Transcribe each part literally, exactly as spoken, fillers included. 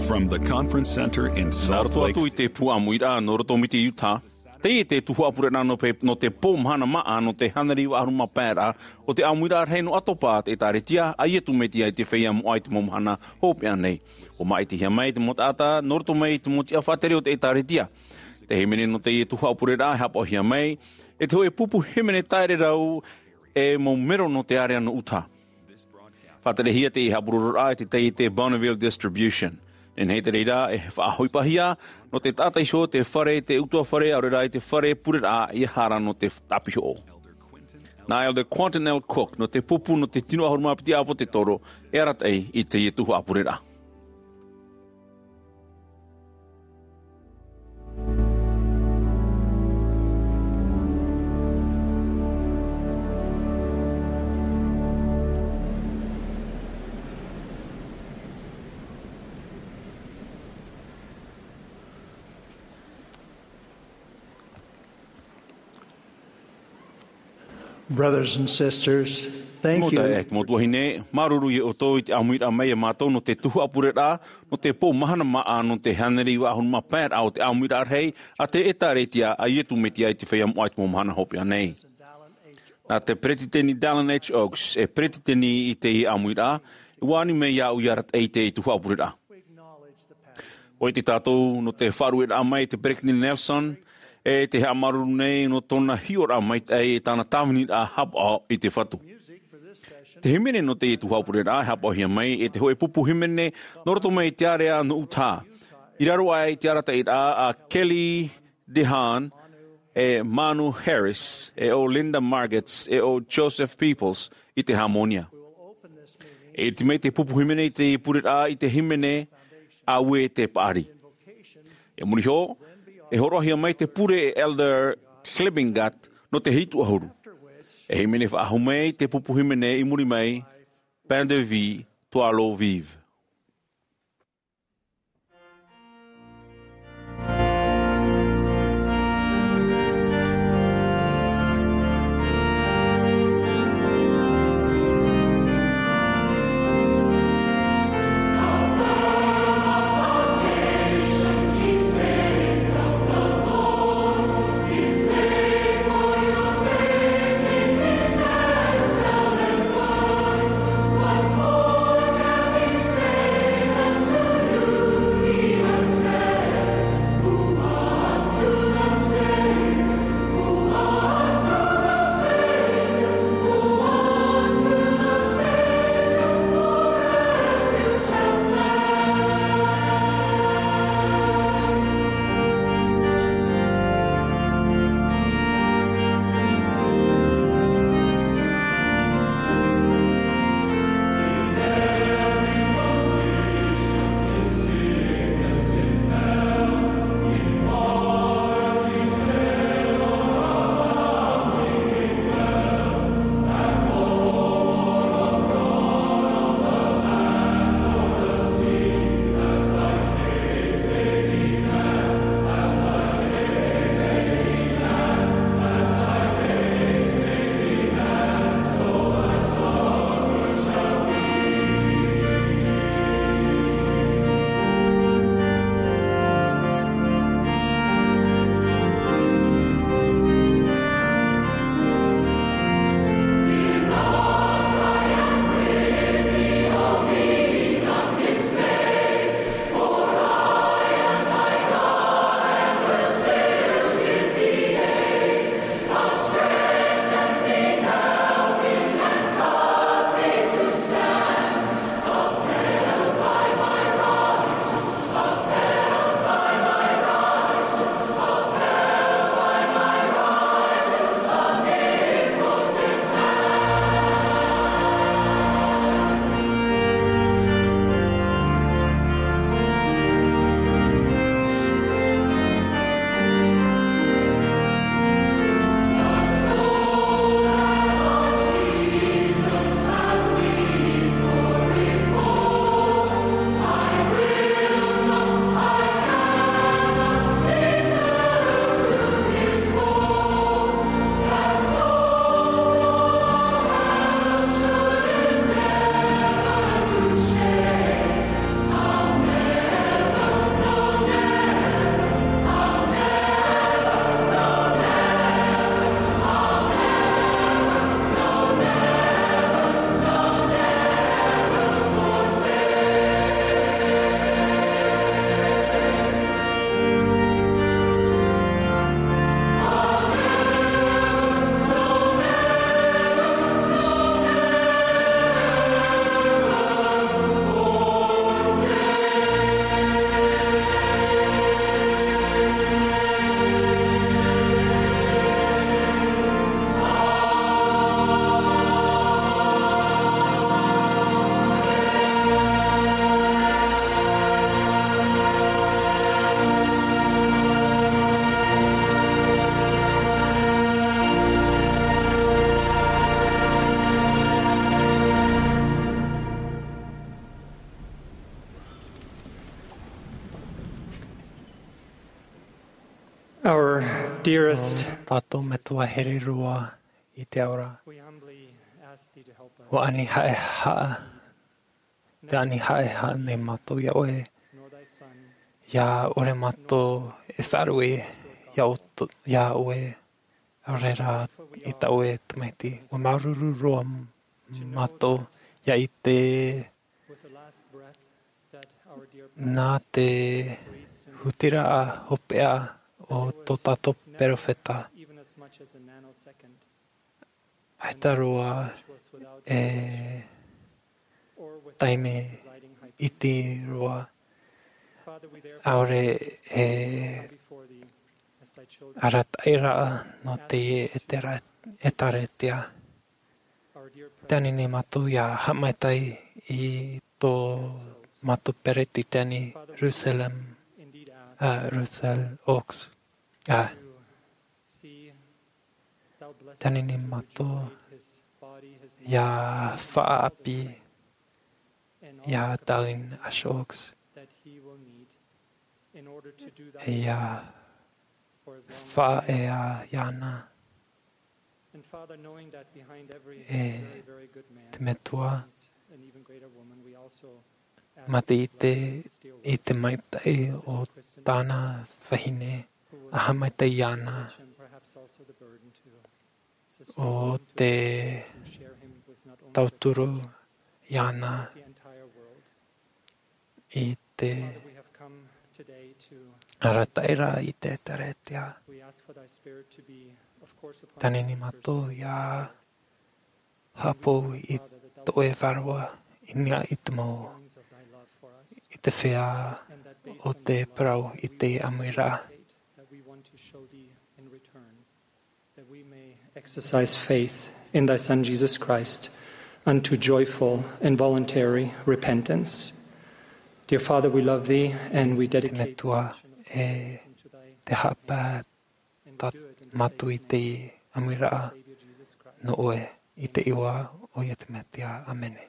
From the conference center in Salt Lake. Nā roto atu i te pū ʻāmuiraʻa nō roto mai te Utah, teie te tuhaʻa pureraʻa nō pe-, nō te pō mahana māʻa nō te hānere iva ʻahuru mā pae raʻa o te ʻāmuiraʻa rahi nō ʻAtopa, te ʻĒtārētia a Iesu Mesia i te feiā moʻa i te mau mahana hopeʻa nei. ʻUa māʻitihia mai te mau taʻata nō roto mai i te mau tiʻa faʻatere o te ʻĒtārētia. Te hīmene nō teie tuhaʻa pureraʻa e haʻapaʻohia mai e te hōʻē pupu hīmene taʻererau e mau mero nō te ārea nō Utah. Faʻaterehia teie haʻapurororaʻa e te taiete Bonneville Distribution. Nehenehe te reira e faʻaʻohipahia nō te taʻata iho te fare, te ʻutuāfare, ʻaore rā i te fare pureraʻa ʻia haere nō te tāpihoʻo. Nā Elder Quentin L. Cook nō te pupu nō te tino ʻahuru mā piti ʻāpōsetolo e arataʻi i teie tuhaʻa pureraʻa. Brothers and sisters, thank you. Mau taeaʻe, mau tuahine, māuruuru ia ʻoutou i te ʻāmuiraʻa mai ia mātou nō te tuhaʻa pureraʻa, nō te pō mahana māʻa, nō te hānere iva ʻahuru mā pae raʻa o te ʻāmuiraʻa rahi a te ʻĒtārētia a Iesu Mesia i te feiā moʻa i te mau mahana hopeʻa nei. Nā te peretiteni Dallin H. Oaks e peretiteni i teie ʻāmuiraʻa, e ʻua ani mai iāʻu ʻia arataʻi i teie tuhaʻa pureraʻa. ʻOia tātou nō te faʻaruʻeraʻa mai i te peretiteni Nelson, e te haʻamāuruuru nei nō tōna hiʻoraʻa maitaʻi, e tāna tāviniraʻa haʻapaʻo i te Fatu. Te hīmene nō teie tuhaʻa pureraʻa e haʻapaʻohia mai e te hōʻē pupu hīmene nō roto mai i te ārea nō Utah, i raro aʻe i te arataʻiraʻa a Kelly DeHaan, e Manu Harris, e ʻo Linda Margetts, e ʻo Joseph Peoples i te hāmōnia. E ʻite mai te pupu hīmene i te pureraʻa i te hīmene Auē e te Paʻari. I muri iho, e hōroʻahia mai te pure e Elder Klebingat nō te hitu ʻahuru. E hīmene faʻahou mai te pupu hīmene i muri mai, Pain de vie, toi l'eau vive. Our dearest, Tātou Metua here roa i te ao ra. We humbly ask thee to help us. Ua ani haʻehaʻa, te ani haʻehaʻa nei mātou iā ʻoe. Nor thy Son. ʻIa ʻore mātou e faʻaruʻe iā ʻo-, iā ʻoe, ʻaore rā i tā ʻoe tamaiti. Ua māuruuru roa mātou ʻia ʻite With the last breath that our dear nā te hutiraʻa hopeʻa o tō tātou perofeta. Even as much as a nanosecond. ʻAita roa e taime iti roa, ʻaore e arataʻiraʻa nō te ʻētare-, ʻētārētia. Tē ani nei mātou ʻia haʻamaitaʻi i tō mātou peretiteni Russell, ā, Russell Oaks. Ā, tē ani nei mātou ʻia faʻaʻāpī iā Dallin H. Oaks, ʻia faʻaea iāna. E te Metua, mā te ʻite i te maitaʻi o tāna vahine, ʻa haʻamaitaʻi iāna, ʻo te tauturu iāna i te arataʻiraʻa i te ʻētārētia. Tē ani nei mātou ʻia haʻapou i tō ʻoe vārua i niʻa i te mau, i te feiā o te parau i te ʻāmuiraʻa. That we may exercise faith in thy Son Jesus Christ unto joyful and voluntary repentance. Dear Father, we love thee and we dedicate Te Metua, e te haʻapaʻo tā mātou i te ʻāmuiraʻa nō ʻoe, i te iʻoa o Iesu Mesia. ʻĀmene.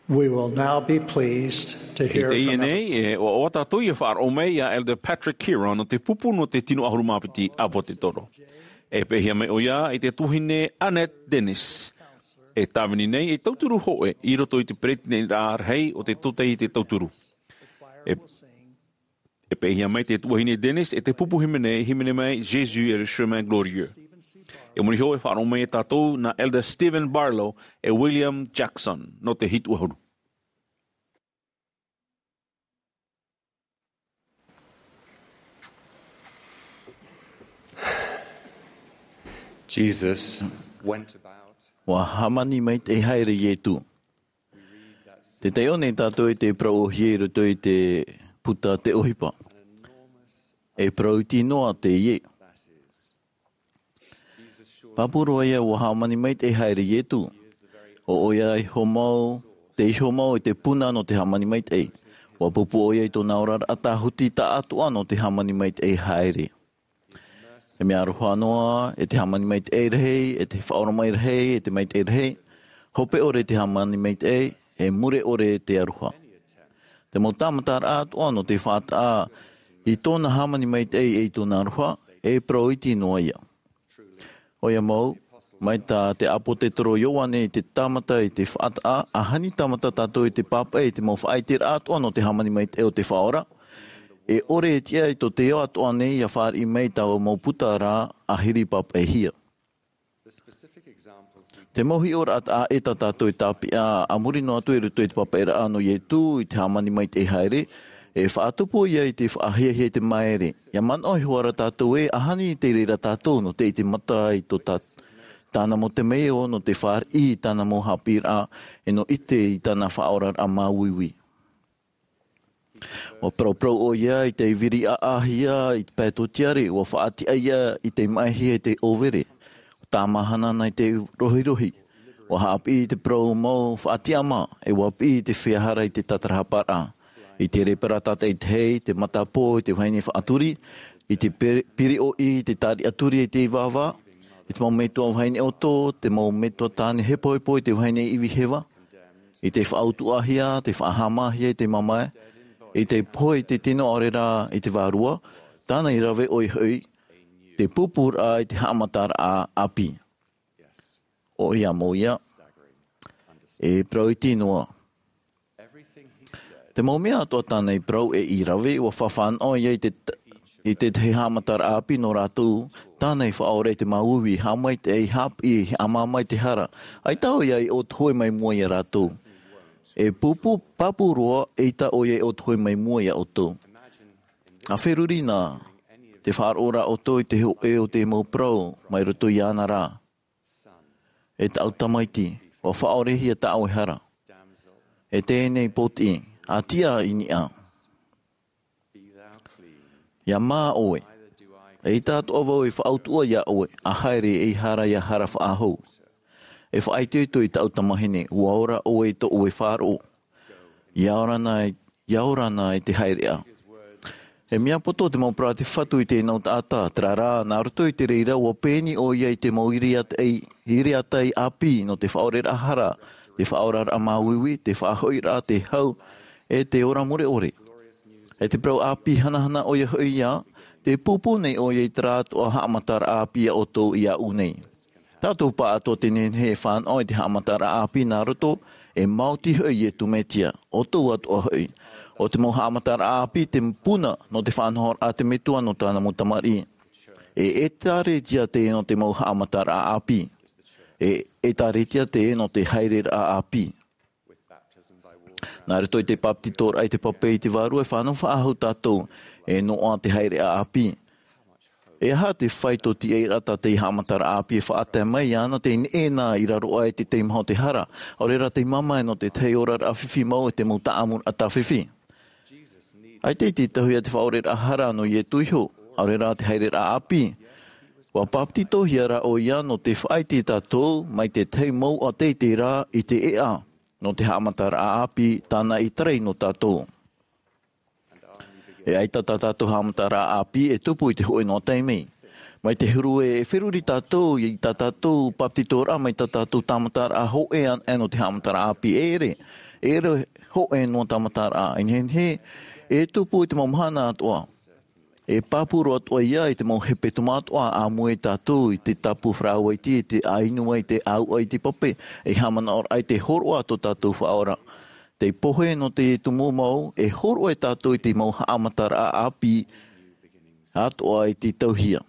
We will now be pleased to I hear teie from nei, e ʻoaʻoa tātou ia faʻaroʻo mai iā Elder Patrick Kearon nō te pupu nō te tino ʻahuru mā piti ʻĀpotetoro. E peʻehia mai ʻoia i te tuahine Annette Dennis. E tāvini nei ei tauturu hōʻē i roto i te peretiteniraʻa rahi o te tōtaiete tauturu. E E peʻehia mai te tuahine Dennis e te pupu hīmene, hīmene mai Jésus est le chemin glorieux. E muri iho e faʻaroʻo mai iā tātou nā Elder Stephen Barlow e William Jackson nō te hitu ʻahuru. Jesus went about. Ua hāmani maitaʻi haere Ietu. Te taiʻo nei tātou i te parau ʻōhie i roto i te puta Te ʻOhipa. E parau iti noa teie. Pāpū roa ia ua hāmani maitaʻi haere Ietu. ʻO ʻoia iho mau, te iho mau i te puna nō te hāmani maitaʻi. Ua pupu ʻoia i tōna oraraʻa tāhuti taʻatoʻa nō te hāmani maitaʻi haere. E mea aroha noa, e te hāmani maitaʻi rahi, e te faʻaora mai rahi, e te maitaʻi rahi, hope ʻore te hāmani maitaʻi, e mure ʻore te aroha. Te mau tāmataraʻa atoʻa nō te faʻataʻa i tōna hāmani maitaʻi e i tōna aroha, e parau iti noa ia. ʻOia mau, mai tā te ʻāpōsetolo Ioane te tāmata i te faʻataʻa, ʻaita e tāmata tātou i te pāpaʻi i te mau faʻaiteraʻa atoʻa nō te hāmani maitaʻi o te Faʻaora, e ʻore e tiʻa i tō te ao atoʻa nei ia fāriʻi mai taua mau puta ra ʻahiri pāpaʻihia. Te mau hiʻoraʻa taʻa ʻē tā tātou e tāpeʻa a muri noa atu i roto i te pāpaʻiraʻa nō Ietu i te hāmani maitaʻi haere, e faʻatupu ia i te faʻahiahia i te maere. Ia manaʻo iho ā rā tātou ē, ʻaita e reira tātou nō te ʻite mata i tō tā-, tāna mau temeio, nō te fāriʻi i tāna mau haʻapiʻiraʻa, e nō ʻite i tāna faʻaoraraʻa māuiui. Ua parauparau ʻoia i te viri ʻāʻāhia i te pae tōtiare, ua faʻatiʻa ia i te maʻihia i te ʻōvere. Ua tāmāhana ana i te rohirohi. Ua haʻapiʻi i te parau mau faʻatiʻama, e ua piʻi i te feiā hara i te tātarahaparaʻa. I te rēpara tātaʻitahi, te matapō i te vahine faʻaturi, i te piri-, piriʻoʻi i te tāriʻaturi i te ivāvā, i te mau metua vahine ʻoto, te mau metua tāne hepohepo i te vahine ivi heva, i te faʻautuʻahia, te faʻahāmāhia i te mamae, i te pohe i te tino ʻaore rā i te vārua, tāna i rave ʻoia hoʻi, te pūpūraʻa i te haʻamataraʻa ʻāpī. ʻOia mau ia, e parau iti noa. Te mau mea atoʻa tāna i parau e i rave, ua fāfānaʻo ia i te t-, i te tahi haʻamataraʻa ʻāpī nō rātou, tāna i faʻaora i te māuiui, haʻamaitaʻi, haʻapiʻi, haʻamāmā i te hara. ʻAita ʻoia i ʻōtohe mai mua iā rātou. E pūpū, pāpū roa, eʻita ʻoia i ʻōtohe mai mua iā ʻoutou. ʻA feruri na, tē faʻaroʻo ra ʻoutou i te hōʻē o te mau parau, mai roto iāna ra. E tāʻu tamaiti, ua faʻaorehia tā ʻoe hara. E teie nei pōtiʻi, ʻa tiʻa i niʻa. Ia mā ʻoe. ʻAita atoʻa vau e faʻautuʻa iā ʻoe, ʻa haere ei hara ia hara faʻahou. E faʻaitoito i tāʻu tamahine, ua ora ʻoe i tō ʻoe faʻaroʻo. Ia ora na, ia ora na i te haereʻa. E mea poto te mau parau a te Fatu i teie nei taʻata, terā rā, nā roto i te reira, ua pēni ʻoia i te mau iriatai, iriatai ʻāpī, nō te faʻaoreraʻa hara, te faʻaoraraʻa māuiui, te faʻahoʻiraʻa, te hau, e te ora mure ʻore. E te parau ʻāpī hanahana ʻoia hoʻi ia, tē pūpū nei ʻoia i terā atoʻa haʻamataraʻa ʻāpī iā ʻoutou iāʻu nei. Tātou pāʻatoʻa te nehenehe e fānaʻo i te haʻamataraʻa ʻāpī nā roto, e maoti hoʻi Iesu Mesia, ʻoutou atoʻa hoʻi. ʻO te mau haʻamataraʻa ʻāpī te puna nō te faʻanahoraʻa a te Metua nō tāna mau tamariʻi. E ʻĒkālesia teie nō te mau haʻamataraʻa ʻāpī. E ʻĒkālesia teie nō te haereraʻa ʻāpī. Nā roto i te bāpetizoraʻa i te pape i te Vārua e fānaʻo faʻahou tātou, e noaʻa te haereʻa ʻāpī. E aha te faito tiʻairaʻa tā te haʻamataraʻa ʻāpī e faʻatae mai iāna, tē neʻe na i raro aʻe i te teimaha o te hara, ʻaore rā tei mamae nō te tahi oraraʻa fifi mau e te mau taʻamuraʻa tāfifi. ʻAita i te tauihaʻa te faʻaoreraʻa hara nō Iesu iho, ʻaore rā te haereraʻa ʻāpī. Ua bāpetizohia rā ʻoia nō te faʻaʻite tātou mai te tahi mouʻa teitei rā i te ʻēʻa, nō te haʻamataraʻa ʻāpī tāna i tarai nō tātou. E ʻaita tā tātou haʻamataraʻa ʻāpī e tupu i te hōʻē noa taime. Mai te huru e feruri tātou i tā tātou papetitoraʻa, mai tā tātou tāmataraʻa hōʻē anaʻe nō te haʻamataraʻa ʻāpī. E ʻere, e ʻere hōʻē noa tāmataraʻa. E nehenehe e tupu i te mau mahana atoʻa. E pāpū roa atoʻa ia i te mau hepetoma atoʻa, ʻāmui tātou i te tāpū farāuaiti, i te ʻāinu ai, te ʻāuʻa i te pape, e haʻamanaʻo ai te hōroʻa tō tātou Faʻaora. Te pohe nō te tumu mau, e hōroʻa tātou i te mau haʻamataraʻa ʻāpī atoʻa i te tauhia.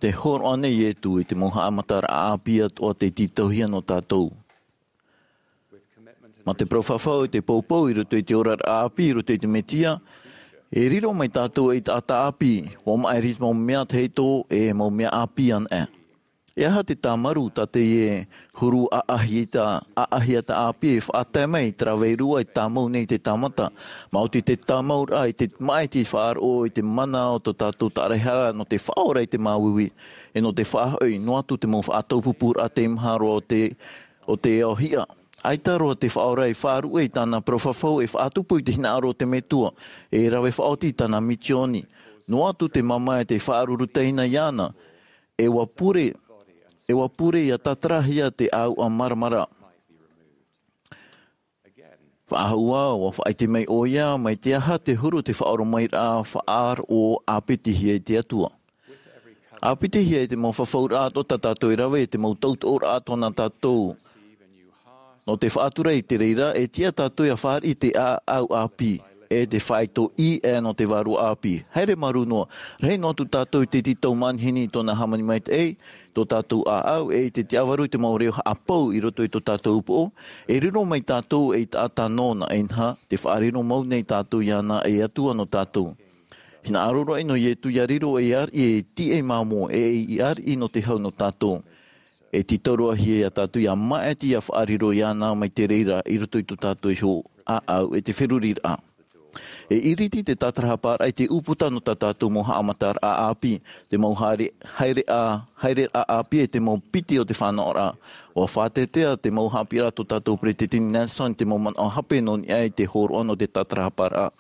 Te hōroʻa nei Ietu i te mau haʻamataraʻa ʻāpī atoʻa te tītauhia nō tātou. Mā te parau fafau i te poupou i roto i te oraraʻa ʻāpī, i roto i te Mesia, e riro mai tātou ei taʻata ʻāpī, ʻua maʻiri te mau mea tahito e mau mea ʻāpī anaʻe. E aha te tāmaru tā teie huru ʻaʻahiata, ʻaʻahiata ʻāpī e faʻatae mai, te rave i rua e tāmau nei te tāmata, maoti te tāmauraʻa i te maʻiti faʻaroʻo i te mana o tō tātou tāraehara nō te faʻaora i te māuiui, e nō te faʻahoʻi, noa atu te mau faʻataupupūraʻa teimaha roa o te, o te ao hiʻa. ʻAita roa te Faʻaora i faʻaruʻe i tāna parau fafau e faʻatupu i te hinaʻaro o te Metua, e rave faʻaoti i tāna misioni. Noa atu te mamae te faʻaruru teina iāna, e ʻua pure, e ʻua pure ʻia tātarahia te ʻāuʻa māramarama. Faʻahou ā, ʻua faʻaʻite mai ʻoia, mai te aha te huru te faʻaoromairaʻa faʻaroʻo ʻāpitihia e te Atua. ʻĀpitihia e te mau fafauraʻa atoʻa tā tātou e rave, e te mau tautoʻoraʻa atoʻa nā tātou. Nō te faʻatura i te reira, e tiʻa tātou ʻia fāriʻi te ʻāʻau ʻāpī, e te faito ʻī ʻē nō te vārua ʻāpī. Haere marū noa, rahi noa atu tātou i te tītau manihini i tōna hāmani maitaʻi, tō tātou ʻāʻau, e i te tiʻavaru i te mau reo haʻapau i roto i tō tātou upoʻo, e riro mai tātou ei taʻata nōna, e inaha, te faʻariro mau nei tātou iāna ei Atua nō tātou. Hinaʻaro roa ʻino Ietu ʻia riro ei ariʻi e tiʻa māmō, e ei ariʻi nō te hau nō tātou. E tītau roa hia iā tātou ʻia maʻiti ʻia faʻariro iāna mai te reira i roto i tō tātou iho ʻāʻau e te feruriraʻa. E iriti te tātarahaparaʻa i te ʻūputa nō tā tātou mau haʻamataraʻa ʻāpī, te mau haere, haereʻa, haereraʻa ʻāpī e te mau piti o te fānaʻoraʻa. ʻUa faʻatetea te mau haʻapiʻiraʻa tō tātou Peresideni Nelson i te mau manaʻo hape nō niʻa i te hōroʻa nō te tātarahaparaʻa.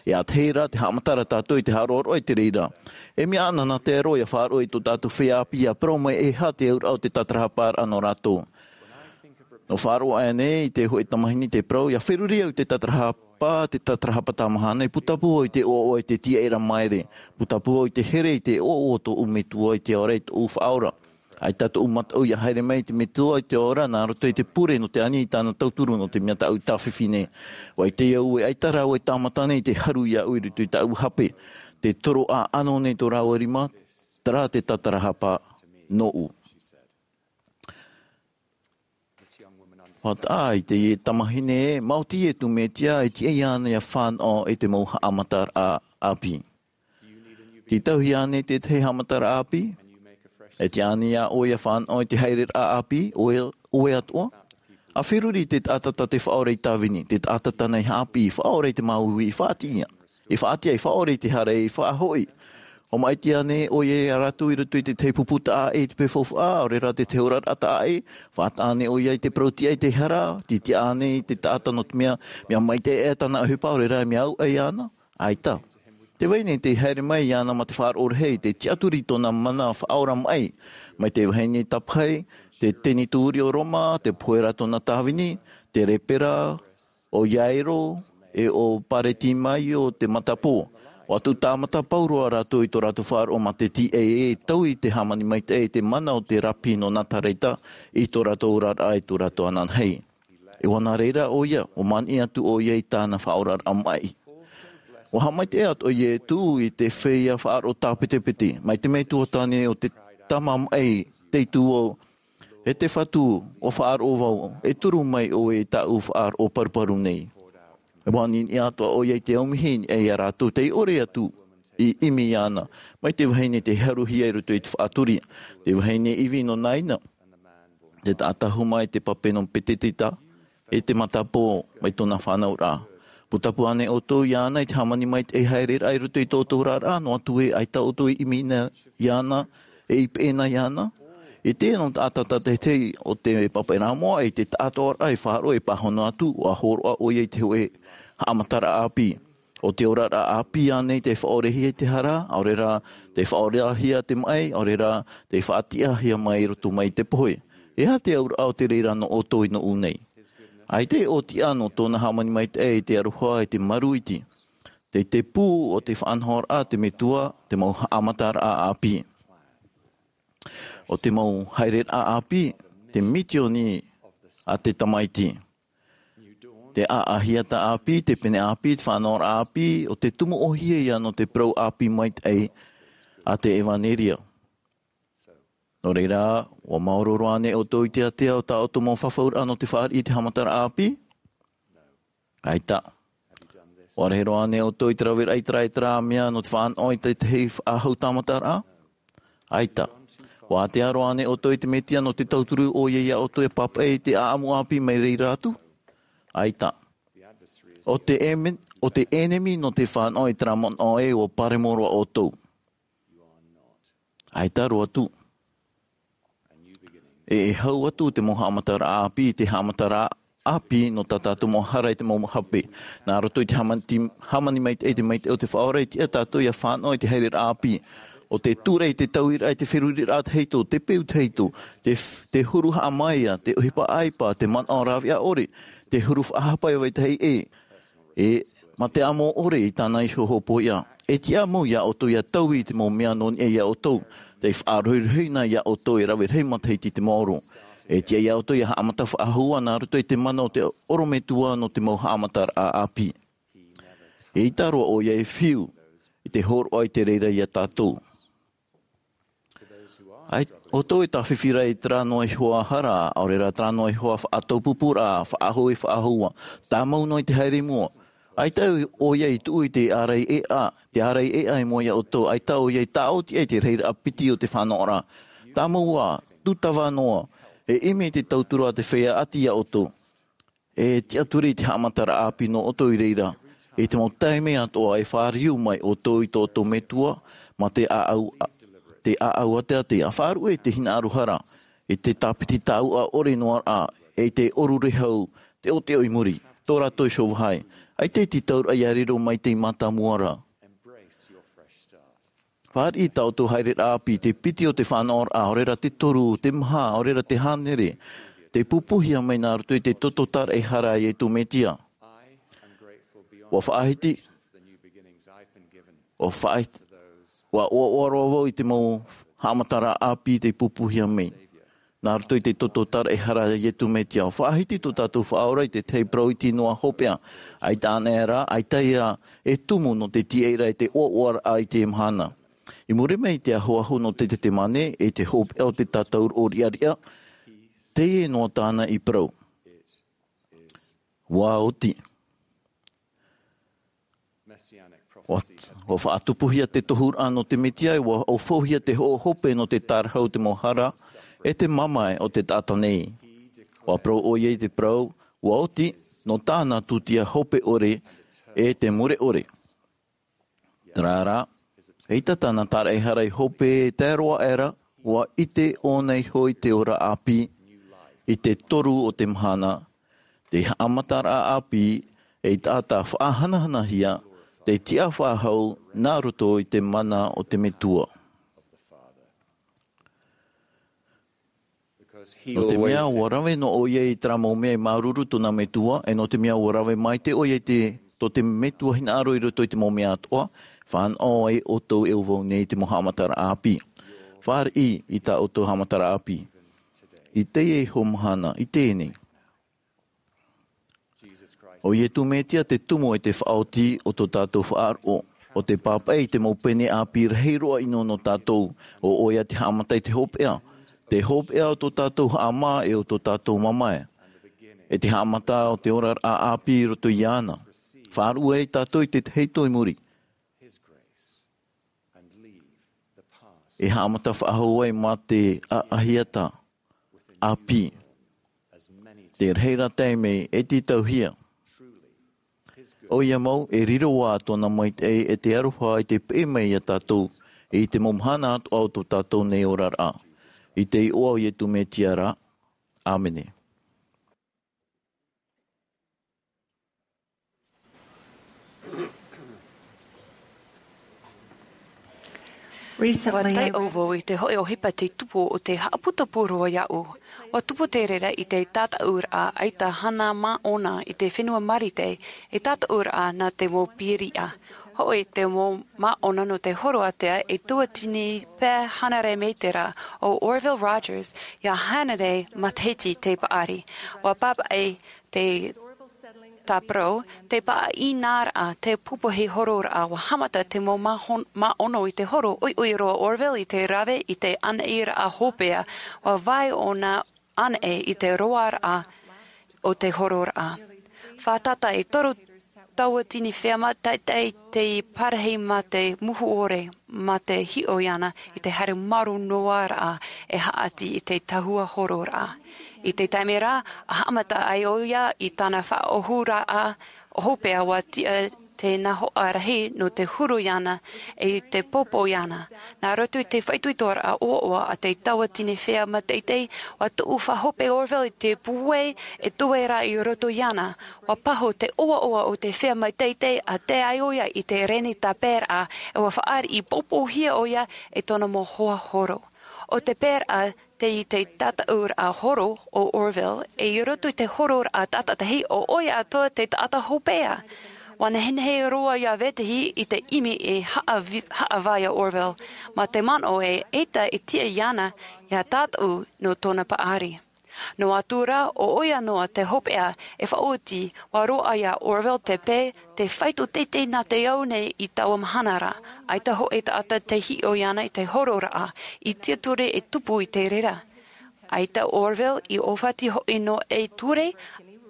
E ʻātahi rā te haʻamatara tātou i te haʻaroaroa i te reira. E mea ʻananahi te Atua ʻia faʻaroʻo i tō tātou feiā ʻāpī ʻia parau mai e aha te auraʻa o te tātarahaparaʻa nō rātou. Nō faʻaroʻo aʻe nei i te hōʻē tamahine te parau, ʻia feruri au i te tātarahapa, te tātarahapa tāmahana, e putapū au i te ʻoaʻoa i te tiaʻiraʻa maere, putapū au i te here i te ʻoaʻoa o tōʻu Metua i te ora i tōʻu Faʻaora. ʻAita tōʻu mataʻu ʻia haere mai i te Metua i te ora, nā roto i te pure nō te ani i tāna tauturu nō te mea tāʻu tāfifi nei. ʻUa ʻite au e ʻaita rāua e tāmata nei te haru iāʻu i roto i tāʻu hape, te toro ʻāʻano nei tō rāua rima, terā te tātarahapa nōʻu. ʻUa taʻa i teie tamahine, maoti Ietu Mesia e tiʻa iāna ʻia fānaʻo i te mau haʻamataraʻa ʻāpī. Tītauhia ānei te tahi haʻamataraʻa ʻāpī? E tiʻa ānei iā ʻoe ʻia fānaʻo i te haereraʻa ʻāpī, ʻoe, ʻoe atoʻa? ʻA feruri i te taʻata tā te Faʻaora i tāvini, te taʻata tāna i haʻapiʻi, faʻaora i te māuiui, i faʻatiʻa, i faʻatiʻa, i faʻaora i te hara, i faʻahoʻi. ʻUa maʻiti ānei ʻoia iā rātou i roto i te tahi pupu taʻa ʻē i te peu faufaʻa, ʻaore rā te tahi oraraʻa taʻa ʻē? Faʻataʻa ānei ʻoia i te parau tiʻa i te hara, tītiʻa ānei te taʻata nō te mea, mea maitaʻi aʻe tāna ʻohipa, ʻaore rā mea auaʻe iāna? ʻAita. Te vahine tei haere mai iāna mā te faʻaroʻo rahi, te tiʻaturi i tōna mana faʻaora maʻi. Mai te vahine tapahi, te tenituri o Roma, te pohe ra tōna tāvini, te lepera, ʻo Iairo, e ʻo Paretimaio te matapō. ʻUa tuʻu tāmata pauroa rātou i tō rātou faʻaroʻo mā te tiʻa e taui te hāmani maitaʻi, te mana o te rapi nō Nazareta, i tō rātou oraraʻa, i tō rātou ananahi. E ʻua nā reira ʻoia, ʻua maniʻi atu ʻoia i tāna faʻaoraraʻa maʻi. ʻUa haʻamaitaʻi atoʻa Ietu i te feiā faʻaroʻo tāpetepete, mai te Metua Tāne o te Tama maʻi, tei tū au, E te Fatu, ʻua faʻaroʻo vau, e turu mai ʻoe i tāʻu faʻaroʻo paruparu nei. ʻUa ʻaniʻani atoʻa ʻoia i te aumihi, e iā rātou tei ʻore atu i ʻimi iāna, mai te vahine tei haruhia i roto i te faʻaturi, te vahine ivi nō Naina, te taʻata huma i te pape nō Petetita, e te matapō mai tōna fānauraʻa. Putapū ānei ʻoutou iāna i te hāmani maitaʻi haereraʻa i roto i tō ʻoutou oraraʻa, noa atu ē ʻaita ʻoutou i ʻimi na iāna, e i peʻe na iāna? E te nō taʻata tātaʻitahi o te pāpaʻiraʻa moʻa, e te taʻatoʻaraʻa e faʻaroʻo e pāhono atu, ʻua hōroʻa ʻoia i te hōʻē haʻamataraʻa ʻāpī. ʻO te oraraʻa ʻāpī ānei tei faʻaorehia i te hara, ʻaore rā, tei faʻaorehia te maʻi, ʻaore rā, tei faʻatiʻahia mai i roto mai i te pohe? E aha te auraʻa o te reira nō ʻoutou i nōʻu nei? ʻAita e ʻōtiʻa nō tōna hāmani maitaʻi i te aroha i te maru iti. Tei te pū o te faʻanahoraʻa te Metua, te mau haʻamataraʻa ʻāpī. ʻO te mau haereraʻa ʻāpī, te mitioni a te Tamaiti. Te ʻaʻahiata ʻāpī, te pene ʻāpī, te faʻanahoraʻa ʻāpī, ʻo te tumu ʻōhie ia nō te parau ʻāpī maitaʻi a te ʻevanelia. Nō reira, ʻua maoro roa ānei ʻoutou i te ātea o tā ʻoutou mau fafauraʻa nō te fāriʻi i te haʻamataraʻa ʻāpī? ʻAita. ʻUa rahi roa ānei ʻoutou i te raveraʻa i terā, i terā mea nō te faʻanaho i te tahi faʻahou tāmataraʻa? ʻAita. ʻUa ātea roa ānei ʻoutou i te Mesia nō te tauturu ʻoia ia ʻoutou e pāpaʻi i te ʻāʻamu ʻāpī mai reira atu? ʻAita. ʻO te ʻēmeni, ʻo te ʻenemi nō te faʻanaho i terā manaʻo ē ʻua paremo roa ʻoutou. ʻAita roa atu. E, e hau atu te mau haʻamataraʻa ʻāpī, te haʻamataraʻa ʻāpī nō tā tātou mau hara i te mau hape. Nā roto i te hāmani, hāmani maitaʻi, te maitaʻi o te Faʻaora, e tiʻa tātou ia fānaʻo i te haereraʻa ʻāpī. ʻO te tūraʻi, te tauiraʻa, te feruriraʻa tahito, te peu tahito, te f-, te huru haʻamaia, te ʻohipa ʻāipa, te manaʻo rāveʻa ʻore, te huru faʻahapa e vetahi ʻē. E, mā te amo ʻore i tāna iho hopoiʻa. E tiʻa mau ia ʻoutou ia taui i te mau mea nō niʻa ia ʻoutou. Tei faʻarohirohia ia ʻoutou e rave rahi matahiti i te maoro. E tiʻa ia ʻoutou ia haʻamata faʻahou nā roto i te mana o te ʻorometua nō te mau haʻamataraʻa ʻāpī. E ʻaita roa ʻoia e fiu i te hōroʻa i te reira ia tātou. ʻAita ʻoutou e tāfifi ra i terā noa iho ā hara, ʻaore rā terā noa iho ā faʻataupupuraʻa, faʻahou e faʻahou ā, tāmau noa i te haere i mua. ʻAita ʻoia i tuʻu i te ārai ʻēʻa, te ārai ʻēʻa i mua ia ʻoutou, ʻaita ʻoia i tāʻoti ai te rahiraʻa piti o te fānaʻoraʻa. Tāmau ā, tūtava noa, e ʻimi i te tauturu a te feiā ʻati ia ʻoutou. E tiʻaturi i te haʻamataraʻa ʻāpī nō ʻoutou i reira. I te mau taime atoʻa e fāriu mai ʻoutou i tō ʻoutou Metua, mā te ʻāʻau, te ʻāʻau a te ātea. Faʻaruʻe i te hinaʻaro hara, i te tāpiti tāuʻa ʻore noa ra, e i te ʻoru rehau, teʻoteʻo i muri, tō rātou iho vāhi. ʻAita e tītauraʻa ia riro mai tei mātāmua ra. Fāriʻi tā ʻoutou haereraʻa ʻāpī, te piti o te fānaʻoraʻa, ʻaore rā te toru, te maha, ʻaore rā te hānere, tei pupuhia mai nā roto i te toto tāraʻehara a Iesu Mesia. ʻUa faʻahiti, ʻua faʻahiti, ʻua ʻoaʻoa roa vau i te mau haʻamataraʻa ʻāpī tei pupuhia mai. Nā roto i te toto tāraʻehara a Iesu Mesia, ʻua faʻahiti tō tātou Faʻaora i te tahi parau iti noa hopeʻa. ʻAita anaʻe rā, ʻaita ia e tumu nō te tīaʻiraʻa i te ʻoaʻoaraʻa i teie mahana. I muri mai i te ahoaho nō te Tetemane, i te hopeʻa o te tātauro riʻariʻa, teie noa tāna i parau. ʻUa oti. ʻUa, ʻua faʻatupuhia te tohuraʻa nō te Mesia, ʻua ʻaufauhia te hoʻo hope nō te tārahu o te mau hara, e te mamae o te taʻata nei. ʻUa parau ʻoia i te parau, ʻua oti, nō tāna tūtia hope ʻore, e te mure ʻore. Terā rā, ʻaita tāna tāraʻehara i hope e tae roa aʻera, ʻua ʻite ʻōna iho i te ora ʻāpī, i te toru o te mahana, te haʻamataraʻa ʻāpī, ei taʻata faʻahanahanahia, tei tiʻa faʻahou, nā roto i te mana o te Metua. Nō te mea ʻua rave noa ʻoia i terā mau mea i māuruuru tōna Metua, e nō te mea ʻua rave maitaʻi ʻoia i te, tō te Metua hinaʻaro i roto i te mau mea atoʻa, fānaʻo ai ʻoutou e au vau nei i te mau haʻamataraʻa ʻāpī. Fāriʻi i tā ʻoutou haʻamataraʻa ʻāpī. I teie iho mahana, i teie nei. ʻO Iesu Mesia te tumu e te faʻaoti o tō tātou faʻaroʻo, ʻo te pāpaʻi i te mau pene ʻāpī rahi roa ʻino nō tātou, ʻo ʻoia te haʻamata i te hopeʻa, te hopeʻa o tō tātou haʻamā e o tō tātou mamae, e te haʻamata o te oraraʻa ʻāpī i roto iāna. Faʻaruʻe ai tātou i te tahito i muri. E haʻamata faʻahou ai mā te ʻaʻahiata ʻāpī. Te reira taime e tītauhia. ʻOia mau, e riro ā tōna maitaʻi e te aroha i te peʻe mai ia tātou, i te mau mahana atoʻa o tō tātou nei oraraʻa. I te iʻoa o Iesu Mesia rā. ʻĀmene. Ua tae au vau i te hoʻi ʻohipa te tupu o te haʻaputapū roa iaʻu. Ua tupu te reira i te tātaʻuraʻa ʻaita hana māʻona i te fenua marite, e tātaʻuraʻa nā te mau piriʻa. Hoʻi te mau māʻona nō te horo ātea e tuatini pae hānere mētera o Orville Rogers ia hānere matahiti te paʻari. Ua pāpaʻi te tāparau, te pāʻinaraʻa, te pupuhi hororaʻa. Ua haʻamata te mau māʻono i te horo ʻoiʻoi roa Orville i te rave i te ʻanaʻiraʻa hōpea. Ua vai ʻōna ʻanaʻe i te roaraʻa o te hororaʻa. Fātata e toru tauatini fea mā taʻetaʻe te parahi mā te muhu ʻore mā te hiʻo iāna i te haere maru noa raʻa e haʻati i te tahua hororaʻa. I te taime rā a haʻamata ai ʻoia i tāna faʻaʻohuraʻa hōpea ua tiʻa te nahoʻa rahi nō te huru iāna i te popo iāna. Nā roto i te faʻaitoitoraʻa ʻoaʻoa a te tauatini fea mā taʻetaʻe ua tuʻu faʻahope Orville i te pūai e tuera i roto iāna. Ua paho te ʻoaʻoa o te fea mā taʻetaʻe a tae ai ʻoia i te reni tāpaeraʻa e ua faʻariʻi popohia ʻoia e tōna mau hoa horo. O te pēraʻa te i te tātaʻuraʻa horo o Orville e i roto i te hororaʻa tātaʻitahi o ʻoia atoa te taʻata hōpea. Ua nehenehe roa ia vetahi i te ʻimi e haʻavai a Orville mā te manaʻo e ʻaita e tiʻa iāna ia tātaʻu nō tōna paʻari. Noa atu rā ʻo ʻoia noa te hōpea e faʻaoti. Ua roaʻa ia Orville te pae te faito teitei nā te ao nei i taua mahana rā. ʻAita hoʻi taʻata te hiʻo iāna i te hororaʻa i tiaturi e tupu i te reira. ʻAita Orville i ʻōfati hoʻi nō ei ture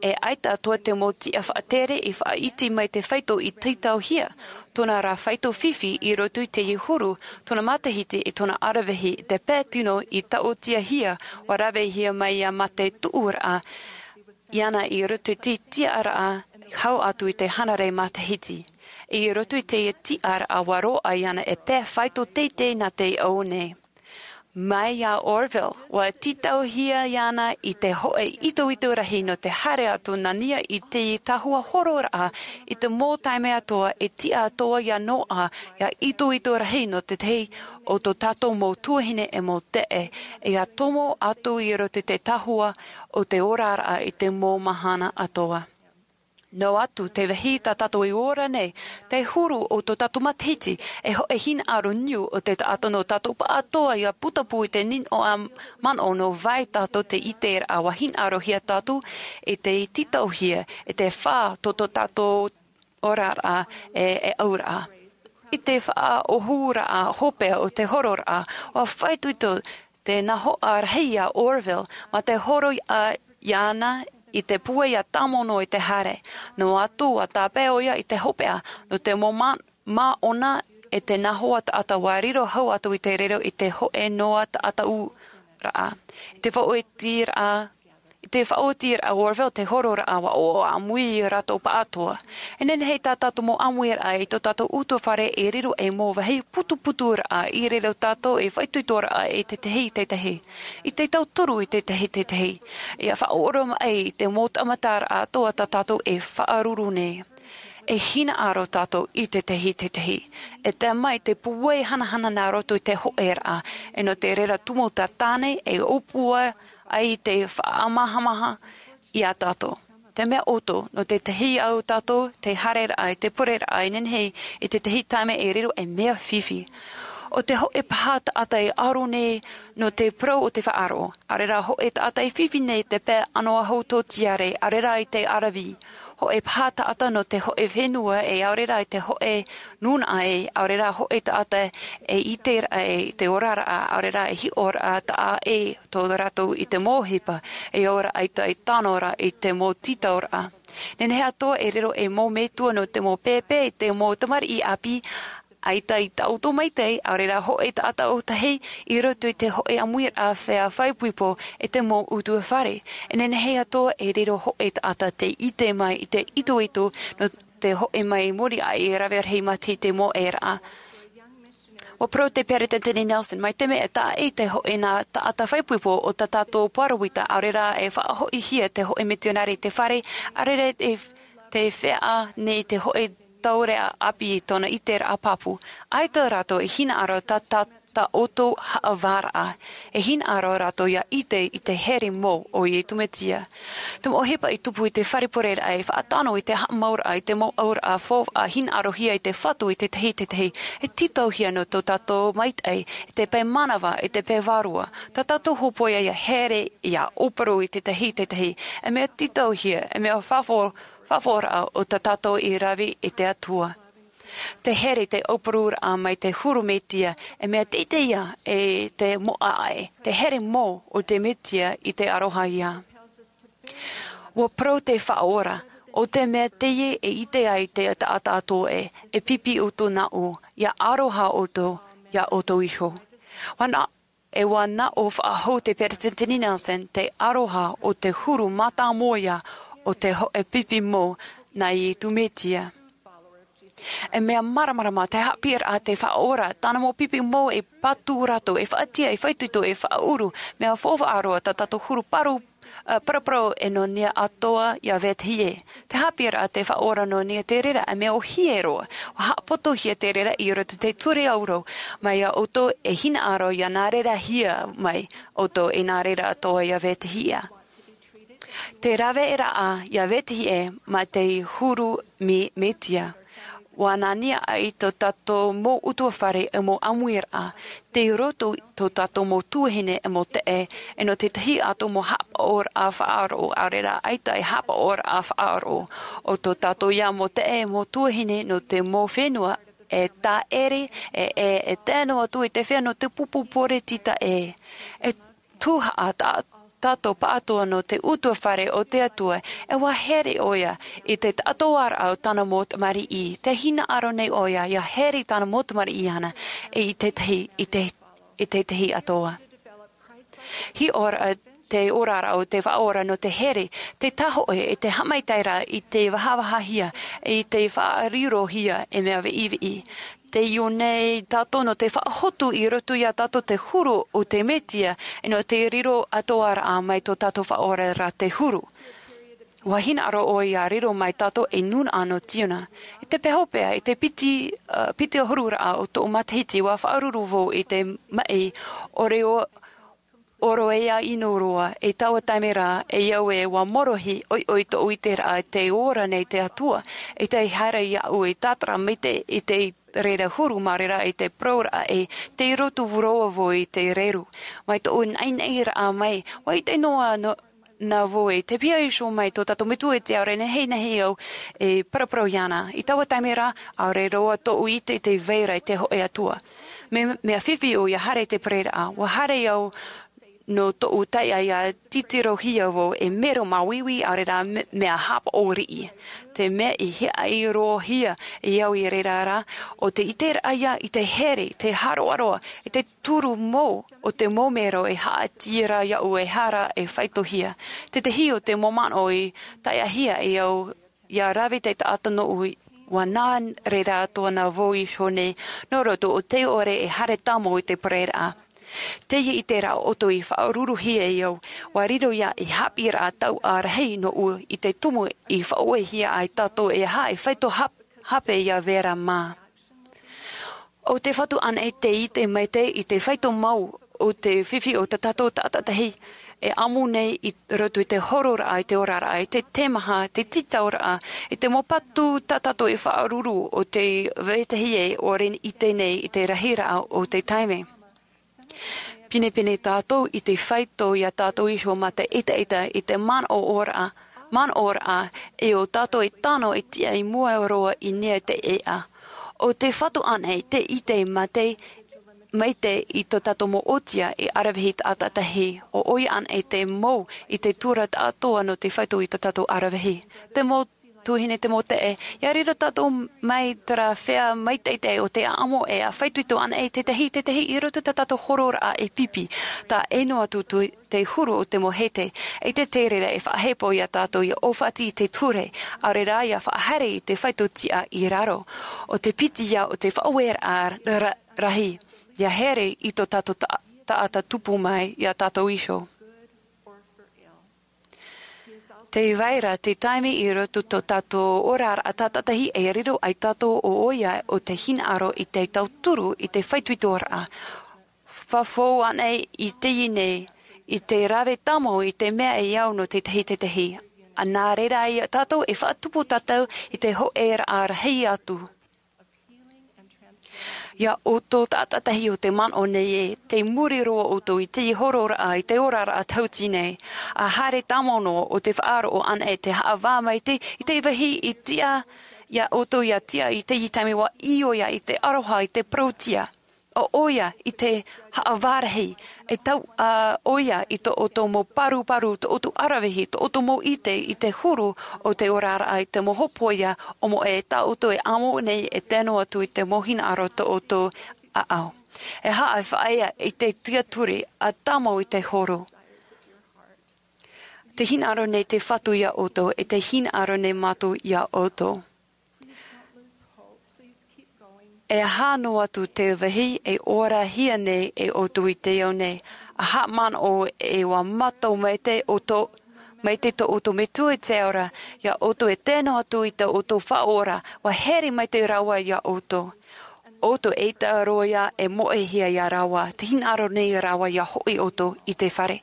e ʻaita atoa te mau tiʻa faʻatere i faʻaiti mai te faito i tītauhia. Tōna rā faito fifi i roto i te huru tōna matahiti i tōna aravihi te pae tino i taʻotiahia. Ua ravehia mai ia mā te tuʻuraʻa iāna i roto i te tiʻaraʻa hau atu i te hānere matahiti. I roto i te tiʻaraʻa ua roaʻa iāna e pae faito teitei nā te ao nei. Mai ia Orville ua tītauhia iāna i te hoʻe itoito rahi nō te haere atu nā niʻa i te tahua hororaʻa i te mau taime atoa e tiʻa atoa ia noaʻa ia itoito rahi nō te tahi o tō tātou mau tuahine e mau teʻe ia tomo atu i roto i te tahua o te oraraʻa i te mau mahana atoa. Noa atu te vāhi tā tātou i ora nei te huru o tō tātou matahiti e hoʻe hinaʻaro niu o te taʻata nō tātou paʻatoa ia putapū i te ninoʻa manaʻo nō vai tātou te ʻiteraʻa ua hinaʻarohia tātou i te tītauhia i te fā tō tō tātou oraraʻa e e auraʻa i te faʻaʻohuraʻa hōpea o te hororaʻa. Ua faito ito te nahoʻa rahi ia Orville mā te horo iāna i te pūai ia tāmono i te haere. Noa atu ua tāpae ʻoia i te hōpea nō te mau māʻona e te nahoʻa taʻata ua riro hau atu i te riro i te hoʻe noa taʻata ʻūraʻa i te faʻaotiraʻa i te faʻaotiraʻa Orville te hororaʻa ua ʻoaʻoa ʻāmui i rātou paʻatoa. E nehenehe tā tātou mau ʻāmuiraʻa i tō tātou ʻutuāfare e riro ei mau vāhi putuputuraʻa i riro tātou e faitoitoraʻa i te tahi te tahi i te tauturu i te tahi te tahi ia faʻaoromaʻi i te mau taʻamataraʻa atoa tā tātou e faʻaruru nei. E hinaʻaro tātou i te tahi te tahi e tae mai te pūai hanahana nā roto i te hoʻeraʻa e nō te reira tumu tātāne e ʻōpua ai te faʻamahamaha iā tātou. Te mea ʻoto nō te tahi au tātou te haereraʻa i te pureraʻa e nehenehe i te tahi taime e riro ei mea fifi. O te hoʻe paha taʻata e aro nei nō te parau o te faʻaroʻo ʻaore rā hoʻe taʻata e fifi nei te pae ʻanoahu tōtiare ʻaore rā i te aravi. Hoʻe paha taʻata nō te hoʻe fenua e ʻaore rā i te hoʻe nūnaʻa e ʻaore rā hoʻe taʻata e ʻiteraʻa e i te oraraʻa ʻaore rā e hiʻoraʻa taʻa e tō rātou i te mau ʻohipa e ora ʻaita i tano rā i te mau tītauraʻa. Nehenehe atoa e riro ei mau metua nō te mau pēpē i te mau tamariʻi ʻāpī ʻaita i taʻoto maitaʻi ʻaore rā hoʻe taʻata ʻōtahi i roto i te hoʻe ʻāmuiraʻa fea faʻaipoipo e te mau ʻutuāfare. E nehenehe atoa e riro hoʻe taʻata te ʻite mai i te itoito nō te hoʻe mai muri aʻe e rave rahi mā te mau ʻēraʻa. Ua parau te peretiteni Nelson mai te mea e taʻa i te hoʻe nā taʻata faʻaipoipo o tā tātou pāroita ʻaore rā e faʻahoʻihia te hoʻe mitionare i te fare ʻaore rā e te fea nei te hoʻe taureʻa ʻāpī i tōna ʻiteraʻa pāpū. ʻAita rātou i hinaʻaro tā tā tā ʻoutou haʻavāraʻa. E hinaʻaro rātou ia ʻite i te here mou o iesu mesia. Te mau ʻohipa i tupu i te fare pureraʻa e faʻatano i te haʻamauraʻa i te mau auraʻa faufaʻa hinaʻarohia i te fatu i tētahi tētahi, e tītauhia nō tō tātou maitaʻi i te pae manava i te pae vārua. Tā tātou hōpoiʻa ia here ia ʻōporo i tētahi tētahi, e mea tītauhia e mea faʻaforaʻa o tā tātou i rave i te atua. Te here te ʻōpororaʻa mai te huru mesia, e mea teitei ia e te moʻa ʻae te here mou o te mesia i te aroha ia. Ua parau te faʻaora o te mea teie e ʻite ai te taʻata atoʻa e pipi ʻoutou nā ʻō ia aroha ʻoutou ia ʻoutou iho. Ua nā e ua nā ʻō faʻahou te peresideni nelson te aroha o te huru mātāmua o te hoʻe pipi mou nā iesu mesia. E mea māramarama te haʻapiʻiraʻa te faʻaora tāna mau pipi mou e patu rātou e faʻatia e faʻaitoito e faʻaʻuru. Mea faufaʻa roa tā tātou huru parau paraparau e nō nia atoʻa ia vetahi ē. Te haʻapiʻiraʻa te faʻaora nō nia te reira e mea ʻohie roa. Ua haʻapotohia te reira i roto i te ture aurau mai ia ʻoutou e hinaʻaro ia nā reira hia mai ʻoutou e nā reira atoʻa ia vetahi ā. Te rave e raʻa ia vetahi ē ma te huru mesia. Ua nā nia ai tō tātou mau ʻutuafare e mau ʻāmuiraʻa te roto tō tātou mau tuahine e mau teʻe e nō tētahi atu mau haʻapaʻoraʻa faʻaroʻo ʻaore rā ʻaita e haʻapaʻoraʻa faʻaroʻo o tō tātou ia mau teʻe e mau tuahine nō te mau fenua e tāʻere e e e tae noa atu i te fenua te pupu poretita ē. E tūhaʻa tā tātou pāʻatoa nō te ʻutuafare o te atua. E ua here ʻoia i te taʻatoaraʻa o tāna mau tamariʻi te hinaʻaro nei ʻoia ia here i tāna mau tamariʻi ana e i tētahi i te i tētahi atoʻa. Hiʻoraʻa te oraraʻa o te faʻaora nō te here te tahoʻe e te haʻamaitaʻiraʻa i te vahavahahia i te faʻarirohia e mea viʻiviʻi. Te iʻo nei tātou nō te faʻahotu i roto ia tātou te huru o te mesia e nō te riro atoʻaraʻa mai tō tātou faʻaora rā te huru. Ua hinaʻaro ʻoe ia riro mai tātou e nūnaʻa nō siona. I te pēhopea i te piti piti ʻahururaʻa o tōʻu matahiti ua faʻaruru vau i te maʻi o reo ʻoroʻa ʻino roa i taua taime rā e au ē ua morohi ʻoiʻoi tōʻu ʻiteraʻa te ora nei te atua. I te haere iaʻu i tātara maitaʻi i te reira huru mā reira i te parauraʻa e te roto vau roa vau i te reru mai tōʻu naʻinaʻiraʻa mai ua ʻite noa nā vau e te piha iho mai tō tātou metua i te ao rā nehenehe au e paraparau iāna i taua taime rā. ʻAore roa tōʻu ʻite i te vai ra i te hoʻe atua. Mea fifi ʻoia haere i te pareraʻa ua haere au nō tōʻu taiʻa ia titirohia vau e mero māuiui ʻaore rā mea hapaʻo riʻi. Te mea i hiaʻai roa hia e au i reira rā o te ʻiteraʻa ia i te here te haroʻaroa i te turu mou o te mau mero e haʻati ra iaʻu e hara e faitohia. Tētahi o te mau manaʻo i taiʻahia e au ia rave te taʻata nōʻu ua nā reira atoʻa nā vau iho nei nō roto o te ʻore e haere tāmau i te pareraʻa. Teie ʻiteraʻa ʻoutou i faʻaruruhia e au ua riro ia i haʻapiʻiraʻa tauʻa rahi nōʻu i te tumu i faʻaʻohia ai tātou e aha e faito hape ia vera mā. ʻO te fatu ʻana i te ʻite maitaʻi i te faito mau o te fifi o tā tātou taʻata tahi e ʻamu nei i roto i te hororaʻa i te oraraʻa i te temaha te titauraʻa i te mau patu tā tātou e faʻaruru o te vetahi e ʻore i ʻite nei i te rahiraʻa o te taime. Pinepine tātou i te faito iā tātou iho mā te ʻetaʻeta i te manaʻoraʻa manaʻoraʻa e ʻo tātou e tano e tiʻa i mua roa i nia te ʻeʻa. ʻO te fatu ʻana i te ʻite maitaʻi i tō tātou mau ʻōtia i aravihi taʻata tahi ʻo ʻoia ʻana i te mau i te tura taʻatoa nō te faito i tō tātou aravihi. Te mau tuahine te mau teʻe ia riro tātou mai terā fea maitaʻitaʻi o te ʻaʻamo e a faitoito ʻana i tētahi tētahi i roto tā tātou hororaʻa e pipi tā ʻeno atu te huru o te mau hete. I te terera e faʻahepo iā tātou ia ʻōfati i te ture ʻaore rā ia faʻahaere i te faito tiʻa i raro. ʻO te piti ia o te faʻaueraʻa rahi ia here i tō tātou taʻata tupu mai iā tātou iho. Te vai ra te taime i roto tō tātou oraraʻa taʻata tahi e riro ai tātou ʻo ʻoia o te hinaʻaro i te tauturu i te faitoitoraʻa. fafau ana i teie nei, i te rave tāmau i te mea e au nō tētahi, tētahi. A nā reira ia tātou e faʻatupu tātou i te hōʻē raʻa rahi atu. Ia ʻoutou taʻata tahi o te manaʻo nei ē, tei muri roa ʻoutou i te hororaʻa, i te oraraʻa tauti nei. A haere tāmau noa o te faʻaroʻo ana e te haʻavā mai te, i te vāhi i tiʻa, ia ʻoutou ia tiʻa i te taime ua ʻio ia i te aroha, i te parauʻtiʻa. ʻO ʻoia i te haʻavā rahi, e tau, a, ʻoia i tō ʻoutou mau paruparu, tō ʻoutou aravihi, tō ʻoutou mau ʻite, i te huru o te oraraʻa, i te mau hopoiʻa, ʻo moʻe tā ʻoutou e amo nei e tano atu i te mau hinaʻaro tō ʻoutou ʻāʻau. E haʻa e faʻaea i te tiaturi a tāmau i te horo. Te hinaʻaro nei te Fatu ia ʻoutou, e te hinaʻaro nei mātou ia ʻoutou. E aha noa atu te vāhi e ora hia nei e ʻoutou i te ao nei. A haʻamanaʻo e ua mātau mai te ʻoutou, mai te tō ʻoutou Metua i te ora, ia ʻoutou e tano atu i tō ʻoutou Faʻaora, ua here mai te rāua ia ʻoutou. ʻOutou e ʻita roa ia e moʻehia ia rāua, te hinaʻaro nei rāua ia hoʻi ʻoutou i te fare.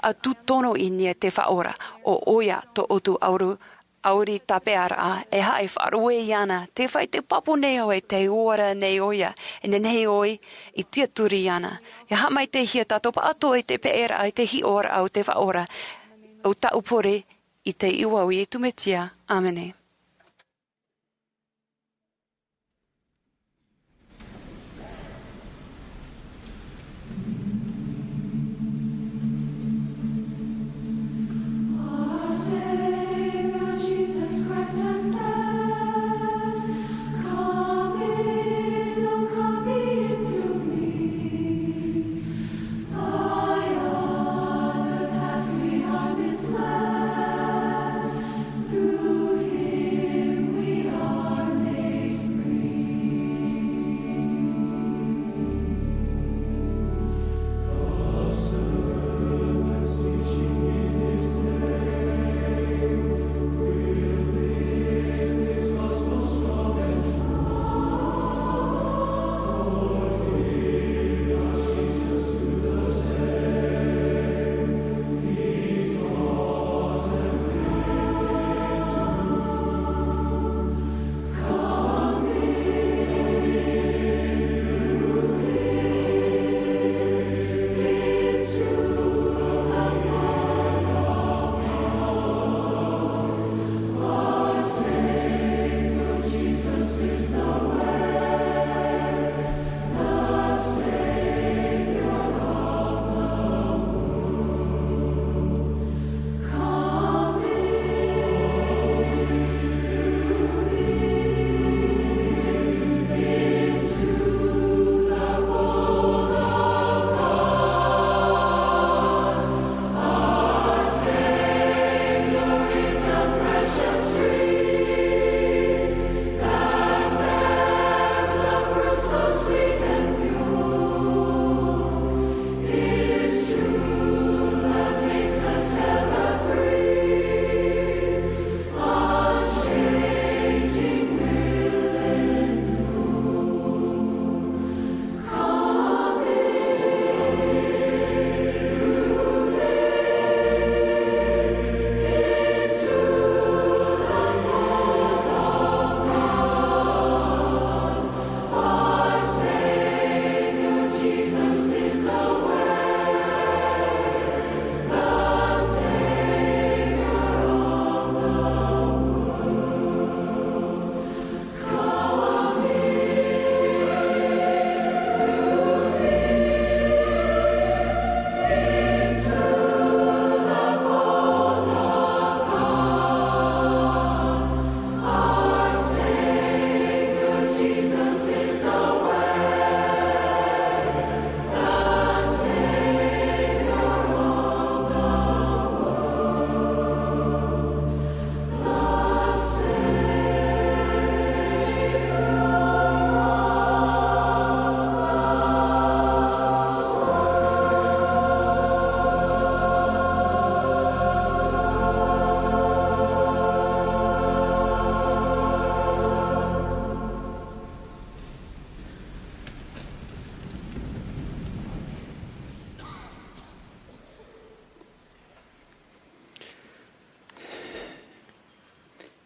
A tū tono i nia te Faʻaora, ʻo ʻoia tō ʻoutou ʻauri, ʻauri tāpearaʻa, e haʻa e faʻaruʻe iāna, te fai te pāpū nei ʻoe te ora nei ʻoia, e nehenehe ʻoe i tiaturi iāna. Ia haʻamaitaihia tātou pāʻatoʻa i te peʻeraʻa, i te hiʻoraʻa o te Faʻaora, ʻo tāʻu pure i te iʻoa o Iesu Mesia. ʻĀmene.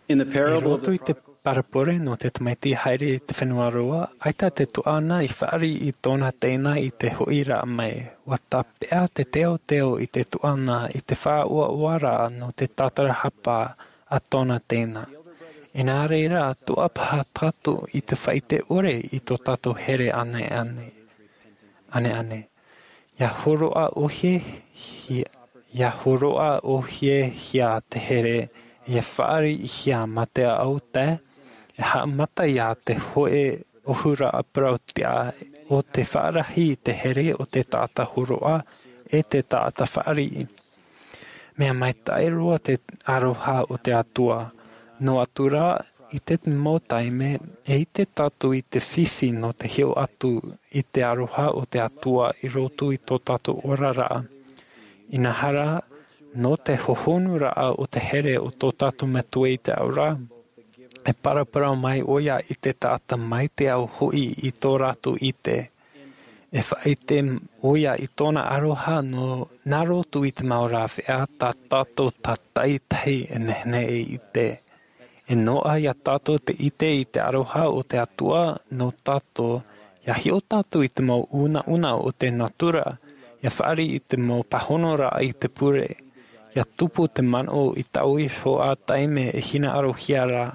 I roto i te parabole nō te tamaiti haere i te fenua roa, ʻaita te tuaʻana i fāriʻi i tōna teina i te hoʻiraʻa mai. Ua tāpeʻa te teoteo i te tuaʻana i te faʻaoaoaraʻa nō te tātarahapa a tōna teina. Inā reira, tuapaha tātou i te faʻaite ʻore i tō tātou here ʻaneʻane. ʻAneʻane. Ia hōroʻa ʻōhie hia, ia hōroʻa ʻōhie hia te here, ia fāriʻi hia mā te ao tae, e haʻamata ia te hōʻē ʻōhuraʻa parau tiʻa o te faʻarahi i te here o te taʻata hōroʻa e te taʻata fāriʻi. Mea maitaʻi roa te aroha o te Atua. Noa atu rā, i te mau taime, e ʻite tātou i te fifi nō te hiʻo atu i te aroha o te Atua i roto i tō tātou oraraʻa. Inaha rā, nō te hohonuraʻa o te here o tō tātou Metua i te ao ra, e paraparau mai ʻoia i te taʻata mai te ao hoʻi i tō rātou ʻite. E faʻaʻite ʻoia i tōna aroha nō, nā roto i te mau rāveʻa tā tātou tātaʻitahi e nehenehe e ʻite. E noaʻa ia tātou te ʻite i te aroha o te Atua nō tātou, ia hiʻo tātou i te mau unauna o te natura, ia fāriʻi i te mau pāhonoraʻa i te pure, ia tupu te manaʻo i taua iho ā taime e hinaʻarohia ra,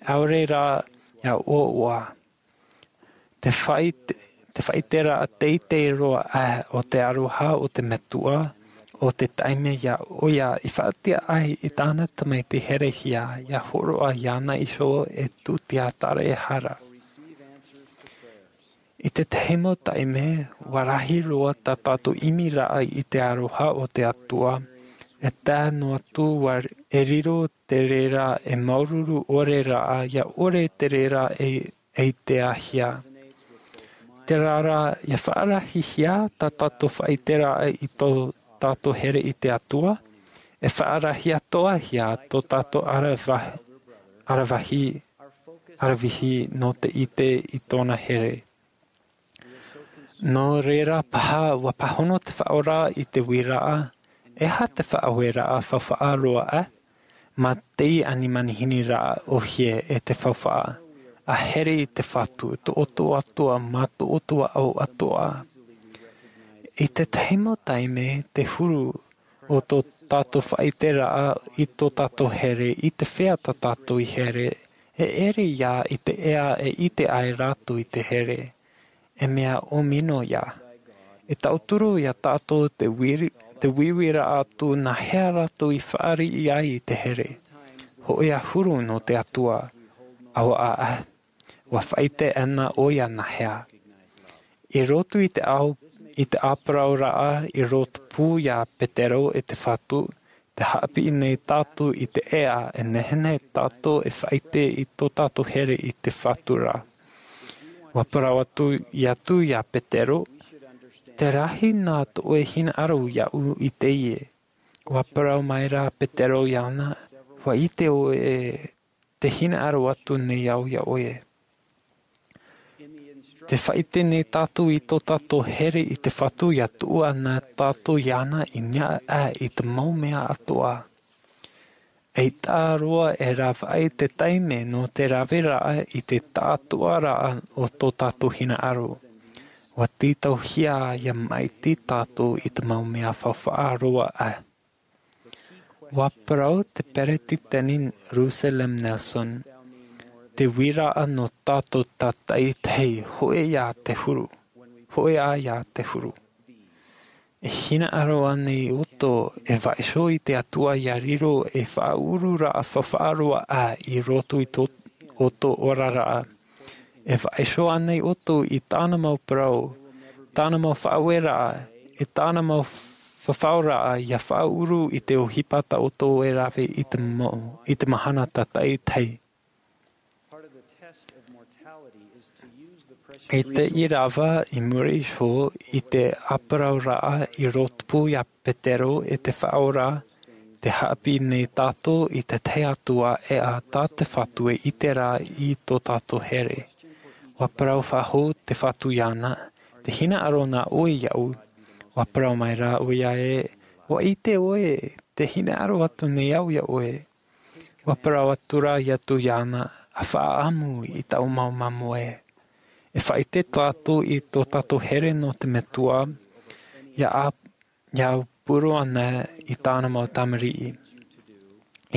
ʻaore rā ia ʻoaʻoa. Te faʻaʻite, te faʻaʻiteraʻa teitei roa aʻe o te aroha o te Metua, o te taime ia ʻoia i faʻatiʻa ai i tāna tamaiti herehia, ia hōroʻa iāna iho e tūtia tāraehara. I tētahi mau taime, ua rahi roa tā tātou ʻimiraʻa i te aroha o te Atua, e tae noa atu ua, e riro te reira e māuruuru ʻore raʻa, ia ʻore te reira e, e ʻiteahia. Terā rā, ia faʻarahihia tā tātou faʻaʻiteraʻa i tō tātou here i te Atua, e faʻarahi atoʻahia tō tātou ʻarava-, ʻaravihi, ʻaravihi nō te ʻite i tōna here. Nō reira paha, ua pāhono te Faʻaora i te uiraʻa, e aha te faʻaueraʻa faufaʻa roa aʻe, mā te ʻanimanihini raʻa ʻōhie e te faufaʻa, ʻa here i te Fatu, tō ʻoutou Atua, mā tō ʻoutou ʻao atoʻa. I tētahi mau taime, te huru o tō tātou faʻaʻiteraʻa i tō tātou here, i te fea tā tātou i here, e ʻere ia i te ʻea e ʻite ai rātou i te here. E mea ʻōmino ia. E tauturu ia tātou te uiri-, te uiuiraʻa atu nā hea rātou i fāriʻi ai i te here. Hōʻē ʻahuru nō te Atua. ʻAuaʻa, ua faʻaʻite ana ʻoia nā hea. I roto i te ao, i te ʻāparauraʻa i rotopū ia Petero e te Fatu, tē haʻapiʻi nei tātou i te ʻea e nehenehe tātou e faʻaʻite i tō tātou here i te Fatu ra. Ua parau atu, ʻē atu ia Petero, te rahi nā tō ʻoe hinaʻaro iāʻu i teie. Ua parau maira Petero iāna, ua ʻite ʻoe te hinaʻaro atu nei au iā ʻoe. Tē faʻaʻite nei tātou i tō tātou here i te Fatu ʻia tuʻu ana tātou iāna i niʻa aʻe i te mau mea atoʻa. ʻAita roa e rave aʻe te taime nō te raveraʻa i te taʻatoʻaraʻa o tō tātou hinaʻaro. Ua tītauhia ʻia maʻiti tātou i te mau mea faufaʻa roa aʻe. Ua parau te Peretiteni Russell M. Nelson, te uiraʻa nō tātou tātaʻitahi, hōʻē ā te huru, hōʻē ā ia te huru. E hinaʻaro ānei ʻoutou e vaiiho i te Atua ʻia riro ei faʻaururaʻa faufaʻa roa aʻe i roto i tō, ʻoutou oraraʻa? E vaiiho ānei ʻoutou i tāna mau parau, tāna mau faʻaueraʻa, e tāna mau fafauraʻa ʻia faʻauru i te ʻohipa tā ʻoutou e rave i te mau, i te mahana tātaʻitahi? I te ʻīrava i muri iho i te ʻāparauraʻa i rotopū ia Petero e te Faʻaora, tē haʻapiʻi nei tātou i te tahi atu ʻēʻa tā te Fatu e ʻite ra i tō tātou here. Ua parau faʻahou te Fatu iāna, tē hinaʻaro na ʻoe iāʻu. Ua parau maira ʻoia ē, ua ʻite ʻoe, tē hinaʻaro atu nei au iā ʻoe. ʻua parau atu ra ʻoia iāna, ʻa faʻaʻamu i taʻu mau māmoe. E faʻaʻite tātou i tō tātou here nō te Metua, ʻia ʻā ʻia pure ana i tāna mau tamariʻi.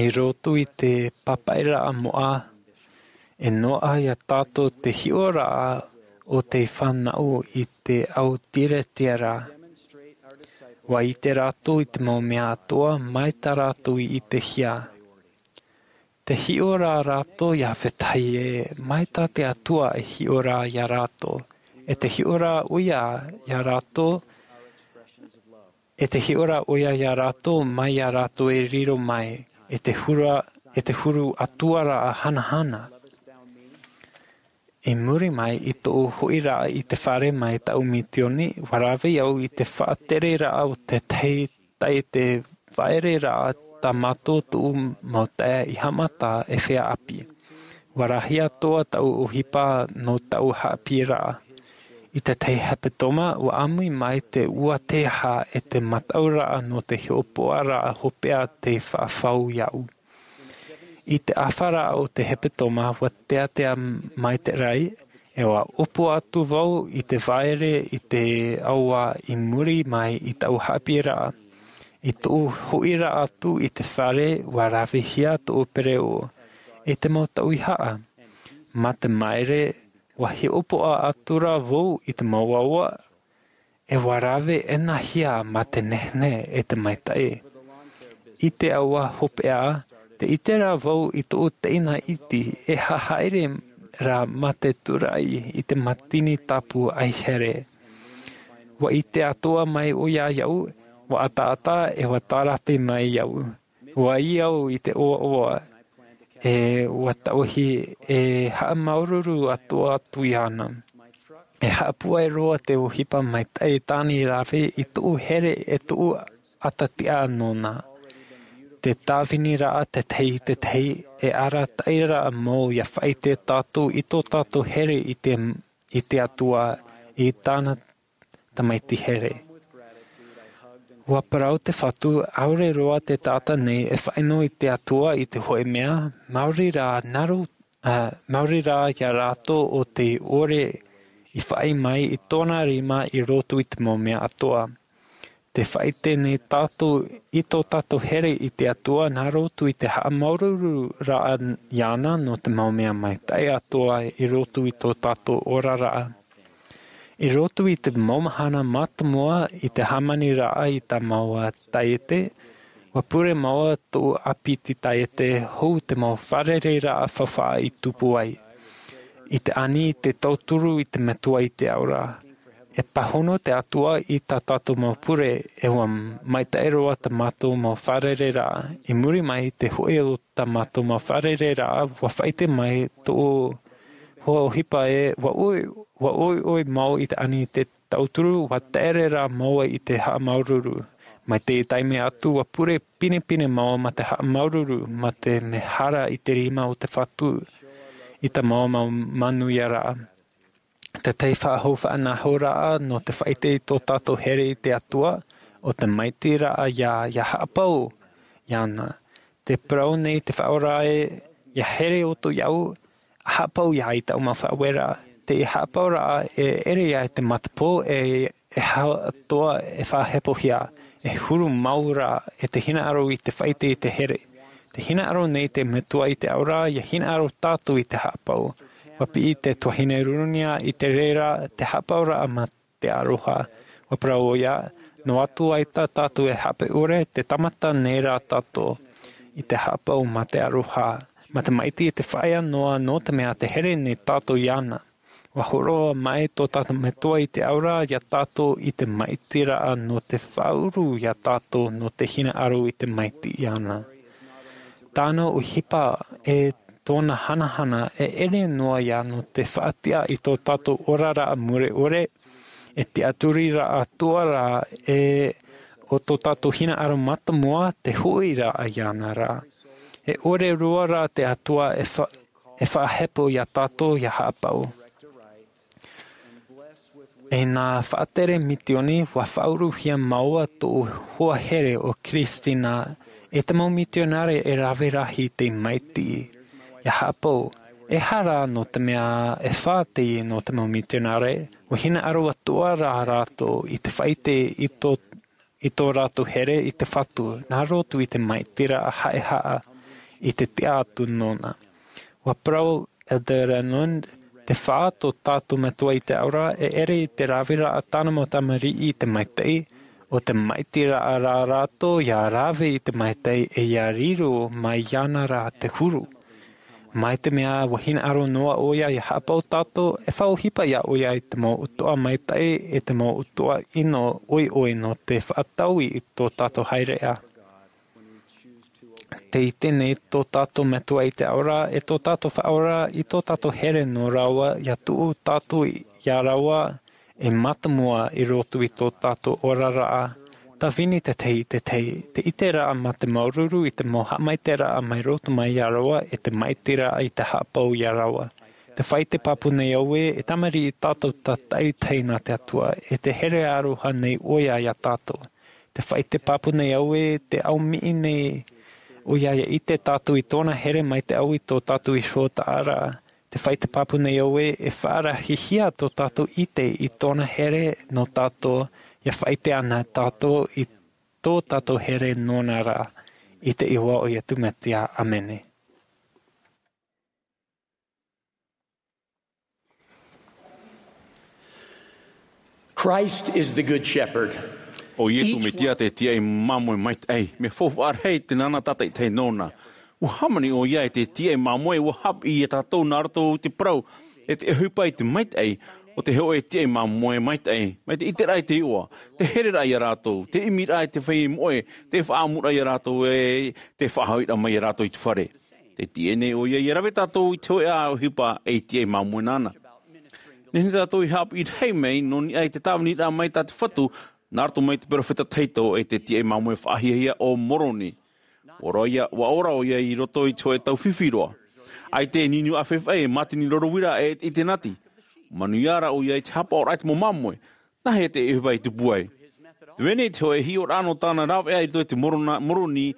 I roto i te pāpaʻiraʻa moʻa, e noaʻa iā tātou te hiʻoraʻa o te fānaʻo i te au tiatia ra. ʻUa ʻite rātou i te mau mea atoʻa mai tā rātou i ʻitehia. Te hiʻo rā rātou iā vetahi ē, mai tā te Atua e hiʻo ra iā rātou, e te hiʻo rā ʻoia iā rātou, e te hiʻo rā ʻoia iā rātou, mai iā rātou e riro mai, e te huru, e te huru atuaraʻa hanahana. I muri mai i tōʻu hoʻiraʻa i te fare mai taʻu misioni, ʻua rave au i te faʻatereraʻa o te tahi taiete vāʻereraʻa tā mātou tuʻu mau taeaʻe i haʻamata e feiā ʻāpī. ʻUa rahi atoʻa taʻu ʻohipa nō taʻu haʻapiʻiraʻa. I te tahi hepetoma, ʻua ʻāmui mai te ua teiaha e te mataʻuraʻa nō te hiʻopoʻaraʻa hopeʻa tei faʻafau iāʻu. I te ʻāfaraʻa o te hepetoma, ʻua teatea mai te raʻi, e ʻua ʻōpua atu vau i te vāʻere i te aua i muri mai i taʻu haʻapiʻiraʻa. I tōʻu hoʻiraʻa atu i te fare, ʻua ravehia tōʻu pereʻoʻo, e te mau tauihaʻa. Mā te māere, ʻua hiʻopoʻa atu ra vau i te mau aua, e ʻua rave ʻenahia mā te nehenehe e te maitaʻi. I te aua hopeʻa, tē ʻite ra vau i tōʻu teina iti e haʻahaere ra mā te tūraʻi i te mātini tāpū ʻaihere. ʻUa ʻite atoʻa mai ʻoia iāʻu, ʻua ʻataʻata e ʻua tārape mai iāʻu. ʻUa ʻī au i te ʻoaʻoa, e ʻua tauihi e haʻamāuruuru atoʻa atu iāna. E haʻapūai roa te ʻohipa maitaʻi tāna i rave i tōʻu here e tōʻu ʻatatiʻa nōna. Te tāviniraʻa tētahi i tētahi, e arataʻiraʻa mau ʻia faʻaʻite tātou i tō tātou here i te, i te Atua, i tāna tamaiti here. ʻUa parau te Fatu, ʻaore roa te taʻata nei e faʻaʻino i te Atua i te hōʻē mea, maori rā nā rō-, ā, maori rā iā rātou ʻo tē ʻore i faʻaʻī mai i tōna rima i roto i te mau mea atoʻa. Tē faʻaʻite nei tātou i tō tātou here i te Atua nā roto i te haʻamāuruururaʻa iāna nō te mau mea maitaʻi atoʻa i roto i tō tātou oraraʻa. I roto i te mau mahana mātāmua i te hāmaniraʻa i tā māua taiete, ʻua pure māua tōʻu ʻāpiti taiete hou te mau fārereiraʻa faufaʻa i tupu ai. I te ani i te tauturu i te Metua i te ao ra. E pāhono te Atua i tā tātou mau pure, e ʻua maitaʻi roa tā mātou mau fārereiraʻa. I muri mai i te hoʻi o tā mātou mau fārereiraʻa, ʻua faʻaʻite mai tōʻu hoa ʻohipa ē, ʻua ʻoi, ʻua ʻoiʻoi māua i te ani i te tauturu, ʻua taere rā māua i te haʻamāuruuru. Mai te taime atu, ʻua pure pinepine māua mā te haʻamāuruuru, mā te mehara i te rima o te Fatu, i tā māua mau manuiaraʻa. Tētahi faʻahou faʻanahoraʻa nō te faʻaʻite i tō tātou here i te Atua, ʻo te maitiraʻa ʻia, ʻia haʻapau iāna. Tē parau nei te Faʻaora ē, ʻia here ʻoutou iāʻu, ʻa haʻapau ia i taʻu mau faʻaueraʻa. Te haʻapauraʻa e ʻere ia i te matapō e, e hau atoʻa e faʻahepohia, e huru mau ra e te hinaʻaro i te faʻaʻite i te here. Tē hinaʻaro nei te Metua i te Ao ra, ʻia hinaʻaro tātou i te haʻapau. ʻUa piʻi te tuahine Runia i te reira, te haʻapauraʻa mā te aroha. ʻUa parau ʻoia, noa atu ai tā tātou e haʻapaʻo ʻore, tē tāmata nei rā tātou i te haʻapau mā te aroha, mā te maʻiti i te faʻaea noa, nō te mea tē here nei tātou iāna. ʻUa hōroʻa mai tō tātou Metua i te Ao ra ia tātou i te maʻitiraʻa nō te faʻaʻuru ia tātou nō te hinaʻaro i te maʻiti iāna. Tāna ʻohipa e tōna hanahana e ʻere noa ia nō te faʻatiʻa i tō tātou oraraʻa mure ʻore, e tiʻaturiraʻa atoʻa ra e ʻo tō tātou hinaʻaro mātāmua te hoʻiraʻa iāna ra. E ʻore roa rā te Atua e fa-, e faʻahepo ia tātou ʻia haʻapau. E nā faʻatere mitioni, ua faʻauruhia māua tōʻu hoa here ʻo Christina, e te mau mitionare e rave rahi tei maitaʻi. ʻIa haʻapau, e aha rā, nō te mea e fā teie nō te mau mitionare, ua hinaʻaro atoʻa rā rātou i te faʻaʻite i tō, i tō rātou here i te Fatu, nā roto i te maitaʻi ra haʻehaʻa i te tiʻa atu nōna. Ua parau Elder Renlund, te fā tō tātou Metua i te Ao Ra, e ʻere i te raveraʻa tāna mau tamariʻi i te maitaʻi, ʻo te maitaʻi ra rā rātou ʻia rave i te maitaʻi e ʻia riro mai iāna rā te huru. Mai te mea ua hinaʻaro noa ʻoia ʻia haʻapau tātou, e faʻaʻohipa ʻia ʻoia i te mau ʻutuʻa maitaʻi, e te mau ʻutuʻa ʻino ʻoiʻoi nō te faʻataui i tō tātou haereʻa. Tē ʻite nei tō tātou Metua i te Ao Ra, e tō tātou Faʻaora, i tō tātou here nō rāua, ʻia tuʻu tātou iā rāua, e mātāmua i roto i tō tātou oraraʻa. Tāvini te tahi i te tahi, te ʻiteraʻa mā te māuruuru i te mau haʻamaitaʻiraʻa mai roto mai iā rāua, e te maitaʻiraʻa i te haʻapau iā rāua. Te faʻaʻite pāpū nei au ē, e tamariʻi tātou tātaʻitahi nā te Atua, e te here aroha nei ʻoia iā tātou. Te faʻaʻite pāpū nei au ē, te ʻaumiʻi nei ʻoia ʻia ʻite tātou i tōna here mai te ʻau i tō tātou iho taʻaraʻa. Te faʻaʻite pāpū nei au ē, e faʻarahihia tō tātou ʻite i tōna here nō tātou, ʻia faʻaʻite ana tātou i tō tātou here nōna rā. I te iʻoa o Iesu Mesia, ʻāmene. Christ is the good shepherd. ʻO Iesu Mesia te tiaʻi māmoe maitaʻi, mea faufaʻa rahi te nānā tātaʻitahi nōna. Ua hāmani ʻoia i te tiaʻi māmoe, ua haʻapiʻi iā tātou nā roto i te parau, e te ʻohipa i te maitaʻi, ʻo te hōʻē tiaʻi māmoe maitaʻi, mai te ʻiteraʻa i te iʻoa, te hereraʻa iā rātou, te ʻimiraʻa i te feiā moʻe, te faʻaʻamuraʻa iā rātou, e te faʻahoʻiraʻa mai iā rātou i te fare. Te tiaʻi nei ʻoia ʻia rave tātou i te hōʻē ʻohipa e tiaʻi māmoe nāna. Nehenehe tātou i haʻapiʻi rahi mai, nō niʻa i te tāviniraʻa mai tā te Fatu, nā roto mai te perofeta tahito e te tiaʻi māmoe faʻahiahia ʻo Moroni. Ua ora ʻoia, ua ora ʻoia i roto i te hōʻē tau fifi roa. ʻAita e niuniu ʻāfaʻi, e mātini roro uira, e, i te nati. Manuia rā ʻoia i te haʻapaʻoraʻa i te mau māmoe. Nā hea te ʻohipa i tupu ai? Te vai nei te hōʻē hiʻoraʻa nō tāna rāveʻa i roto i te Morona-, Moroni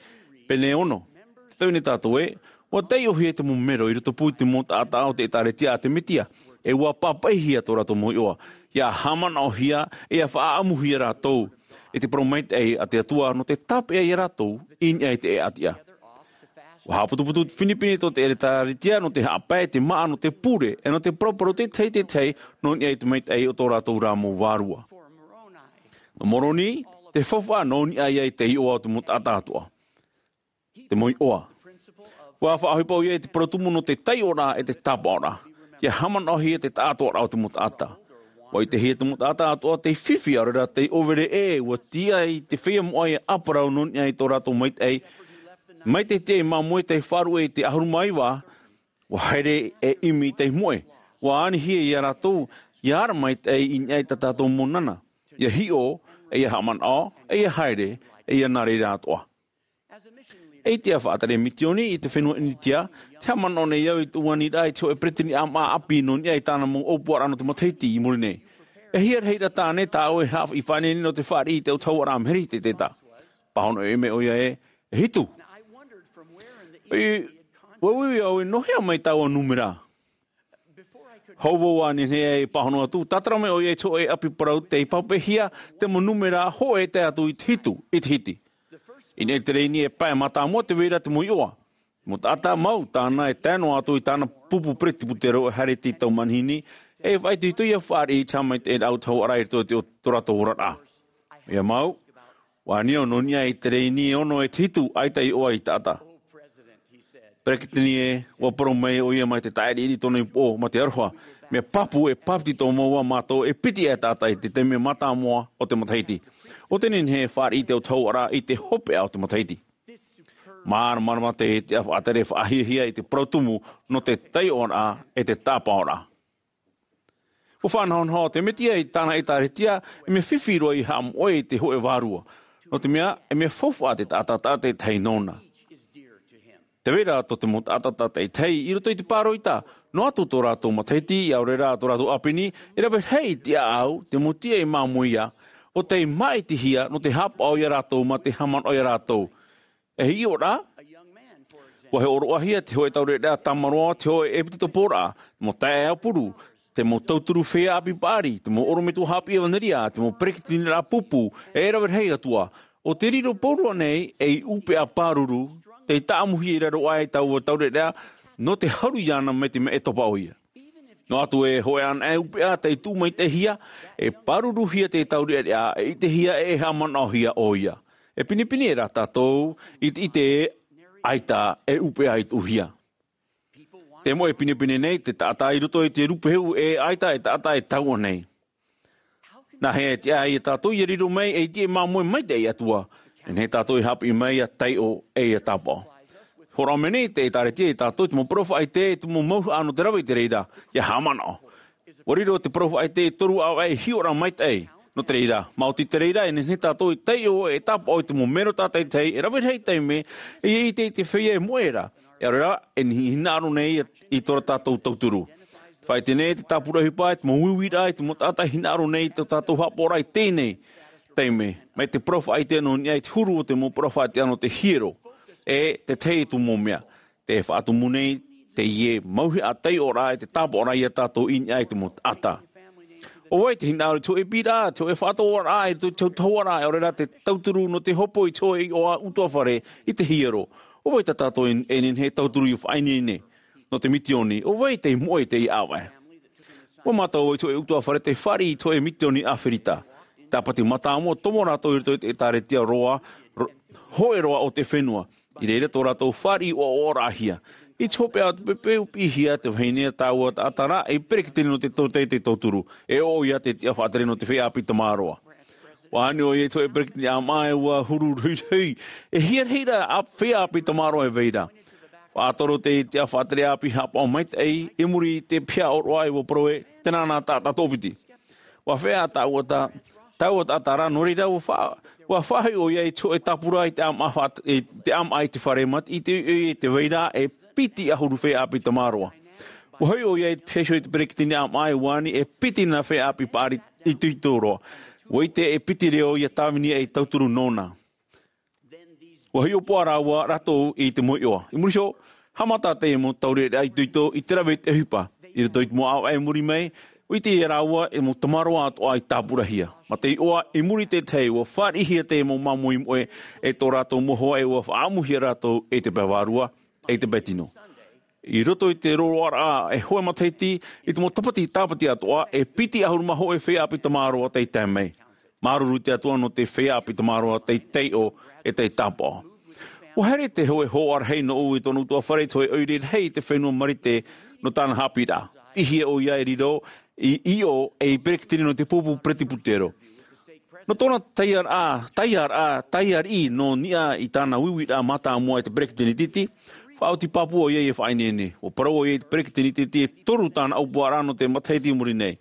pene ono. Tē tau nei tātou ē, ua taiʻohia te mau mero i rotopū i te mau taʻata o te ʻĒtārētia a te Mesia, e ua pāpaʻihia tō rātou mau iʻoa, ʻia haʻamanaʻohia, e ʻia faʻaʻamuhia rātou, e te parau maitaʻi a te Atua nō te tāpeʻa iā rātou, i niʻa i te ʻēʻa tiʻa. Ua haʻaputuputu pinepine tō te ʻĒtārētia nō te haʻapae, te māʻa, nō te pure, e nō te paraparau te tahi te tahi, nō niʻa i te maitaʻi o tō rātou rā mau vārua. Nō Moroni, te faufaʻa nō niʻa ia i te iʻoa o te mau taʻata atoʻa. Te mau iʻoa. Ua faʻaʻohipa ʻoia i te parau tumu nō te taiʻoraʻa e te tāpaʻoraʻa. ʻIa haʻamanaʻohia te taʻatoʻaraʻa o te mau taʻata. Ua ʻitehia te mau taʻata atoʻa tei fifi, ʻaore rā tei ʻōvere ʻē, ua tiʻa i te feiā moʻa ʻia ʻāparau nō niʻa i tō rātou maitaʻi. Mai te tiaʻi māmoe tei faʻaruʻe i te ʻahuru mā iva, ua haere e ʻimi tei moʻe. Ua anihia iā rātou, ʻia ara maitaʻi i niʻa i tā tātou mau nānā. ʻIa hiʻo, e ʻia haʻamanaʻo, e ʻia haere, e ʻia nā reira atoʻa. E tiʻa faʻatere misioni i te fenua ʻInitia, tē haʻamanaʻo nei au i te ʻuaniraʻa i te hōʻē peretiteni ʻāmaʻa ʻāpī nō niʻa i tāna mau ʻōpuaraʻa nō te matahiti i muri nei. E hia rahi rā tāne tāʻu e haʻa-, i faʻaineine nō te fāriʻi i te autahuʻaraʻa Meheri i te tētā. Pāhono ʻoe mai ʻoia ē, e hitu. E, ua uiui au ē, nō hea mai taua nūmera? Hou vau ʻa nehenehe e pāhono atu, tātara mai ʻoia i te hōʻē ʻapi parau tei pāpaʻihia te mau nūmera hōʻē tae atu i te hitu, i te hiti. I niʻa i te rēni e pae mātāmua te vai ra te mau iʻoa. Mau taʻata mau, tāna e tae noa atu i tāna pupu peretiteni e haere i te tau manihini, e faʻaitoito ʻia fāriʻi i te haʻamaitaʻiraʻa autahuʻaraʻa i roto i te o-, tō rātou oraraʻa. ʻOia mau, ua ani au nō niʻa i te rēni e ono e te hitu, ʻaita iʻoa i taʻata. Peretiteni ē, ua parau mai ʻoia mai te taʻiriʻiri i tōna upoʻo, mā te aroha, mea pāpū e pāpetito mau mātou e piti e taʻata i te taime mātāmua o te matahiti. ʻO tē nehenehe e fāriʻi i te autahuʻaraʻa i te hopeʻa o te matahiti. Māramarama te, te faʻatere faʻahiahia i te parau tumu nō te taiʻoraʻa e te tāpaʻoraʻa. Ua faʻanahonaho te Mesia i tāna ʻĒtārētia, e mea fifi roa i haʻamoʻe i te hōʻē vārua. Nō te mea, e mea faufaʻa te taʻata tātaʻitahi nōna. Te vai ra tō te mau taʻata tātaʻitahi i roto i te pāroita, noa atu tō rātou matahiti, ʻaore rā tō rātou ʻāpeni, e rave rahi te ʻāʻau, te mau tiʻa i māmoe ia, ʻo tei māʻitihia nō te haʻapaʻo ia rātou mā te haʻamanaʻo ia rātou. E hiʻo rā, ʻua hōroʻahia te hōʻē taureʻareʻa tamaroa, te hōʻē ʻepitekopo ra, te mau taeaʻe ʻāpuru, te mau tauturu feiā ʻāpī paʻari, te mau ʻorometua haʻapiʻi ʻevanelia, te mau peresideni ra pupu, e rave rahi atu ā. ʻO tei riro pauroa nei ei ʻūpeʻa pāruru, tei tāʻamuhia i raro aʻe i taua taureʻareʻa, nō te haru iāna mai te mea e topa ʻoia. Noa atu e hōʻē anaʻe ʻūpeʻa tei tuʻu maitaʻihia, e pāruruhia te taureʻareʻa, e ʻitehia e haʻamanaʻohia ʻoia. E pinepine rā tātou i te ʻite ē, ʻaita e ʻūpeʻa i tuʻuhia. Te moʻe pinepine nei te taʻata i roto i te rūpehu, e ʻaita e taʻata e taua nei. Nāhea e tiʻa ai ia tātou ia riro mai ei tiʻa māmoe maitaʻi i te Atua? E nehenehe tātou e haʻapiʻi mai ia taiʻo e ia tāpaʻo. Hōroʻa mai nei te ʻĒtārētia ia tātou te mau parau faʻaʻite, te mau mauhaʻa nō te rave i te reira, ia haʻamanaʻo. ʻUa riro te parau faʻaʻite e toru ʻāvaʻe hiʻoraʻa maitaʻi nō te reira. Maoti te reira, e nehenehe tātou e taiʻo, e tāpaʻo i te mau mero tātaʻitahi, e rave rahi taime, e ʻite i te feiā e moʻe ra. E ʻaore rā, e hinaʻaro nei i tō rātou tauturu. Faʻaʻite nei te tāpura ʻohipa, te mau uiuiraʻa, te mau taʻata e hinaʻaro nei i tō tātou haʻapaʻoraʻa i teie nei taime. Mai te parau faʻaʻite nō niʻa i te huru o te mau parau faʻaʻite nō te hiero. E te tahi atu mau mea. Te faʻatumu nei teie mauhaʻa taiʻoraʻa e te tāpaʻoraʻa ia tātou i niʻa i te mau taʻata. ʻO vai te hinaʻaro i te hōʻē piʻiraʻa, te hōʻē faʻatoʻoraʻa, e te tauturu, e ʻaore rā te tauturu nō te hopo i te hōʻē iʻoa ʻutuāfare i te hiero? ʻO vai tā tātou e, e nehenehe e tauturu i faʻaineine nō te mitioni? ʻO vai tei moʻe i teie ʻāvaʻe? ʻUa mātau i te hōʻē ʻutuāfare tei fāriʻi i te hōʻē mitioni ʻĀferita. Tāpati mātāmua tomo rātou i roto i te ʻĒtārētia roa, ro-, hōʻē roa o te fenua. I reira tō rātou fāriʻi ʻoaʻoaraʻahia. I te hopeʻa o te pepe, ʻua piʻihia te vahine a taua taʻata ra ei peresideni nō te tōtaiete tauturu, e ʻo ʻoia te tiʻa faʻatere nō te feiā ʻāpī tamaroa. ʻUa ani ʻoia i te hōʻē peresideni ʻāmaʻa, e ʻua huru ruhirahi, e hia rahi ra ʻa, feiā ʻāpī tamaroa e vai ra. Faʻatoro te tiʻa faʻatere ʻāpī haʻapaʻo maitaʻi, i muri i te pihaʻa ʻōroʻa, e ʻua parau ē, tēnā nā taʻata toʻopiti. ʻUa feiā taua ta-, taua taʻata ra, nō reira ʻua fa-, ʻua faʻahoʻi ʻoia i te hōʻē tāpura i te ʻāmaʻa fa-, i te ʻāmaʻa i te fare mā te ʻite ʻoia i te vai ra e piti ʻahuru feiā ʻāpī tamaroa. ʻUa hoʻi ʻoia i te pihaʻa iho i te peresideni ʻāmaʻa, e ʻua ani e piti nā feiā ʻāpī paʻari itoito roa. ʻUa ʻite e piti reo ia Tāvini ei tauturu nōna. ʻUa hiʻopoʻa rāua rātou i te mau iʻoa. I muri iho, haʻamata te mau taureʻareʻa itoito i te rave i te ʻohipa. I roto i te mau ʻāvaʻe i muri mai, ʻua ʻite ia rāua e mau tamaroa atoʻa i tāpurahia. Mā te iʻoa, i muri i te tahi, ʻua fāriʻihia te mau māmoe i moʻe e tō rātou mau hoa, e ʻua faʻaʻamuhia rātou e te pae vārua, e te pae tino. I roto i te roaraʻa e hōʻē matahiti, i te mau tāpati, tāpati atoʻa, e piti ʻahuru mā hōʻē feiā ʻāpī tamaroa tei tae mai. Māuruuru i te Atua nō te feiā ʻāpī tamaroa tei taiʻo e tei tāpaʻo. ʻUa haere te hōʻē hoa rahi nōʻu i tōna ʻutuāfare, te hōʻē ʻoire rahi i te fenua Marite nō tāna haʻapiʻiraʻa. Piʻihia ʻoia e riro i, i ʻō ei peresideni nō te pupu peretiputero. Nō tōna taiaraʻa, taiaraʻa, taiariʻi nō niʻa i tāna uiuiraʻa mātāmua e te peresideni titi, faʻaoti pāpū ʻoia ia faʻaineine. ʻUa parau ʻoia i te peresideni titi e toru tāna ʻōpuaraʻa nō te matahiti i muri nei.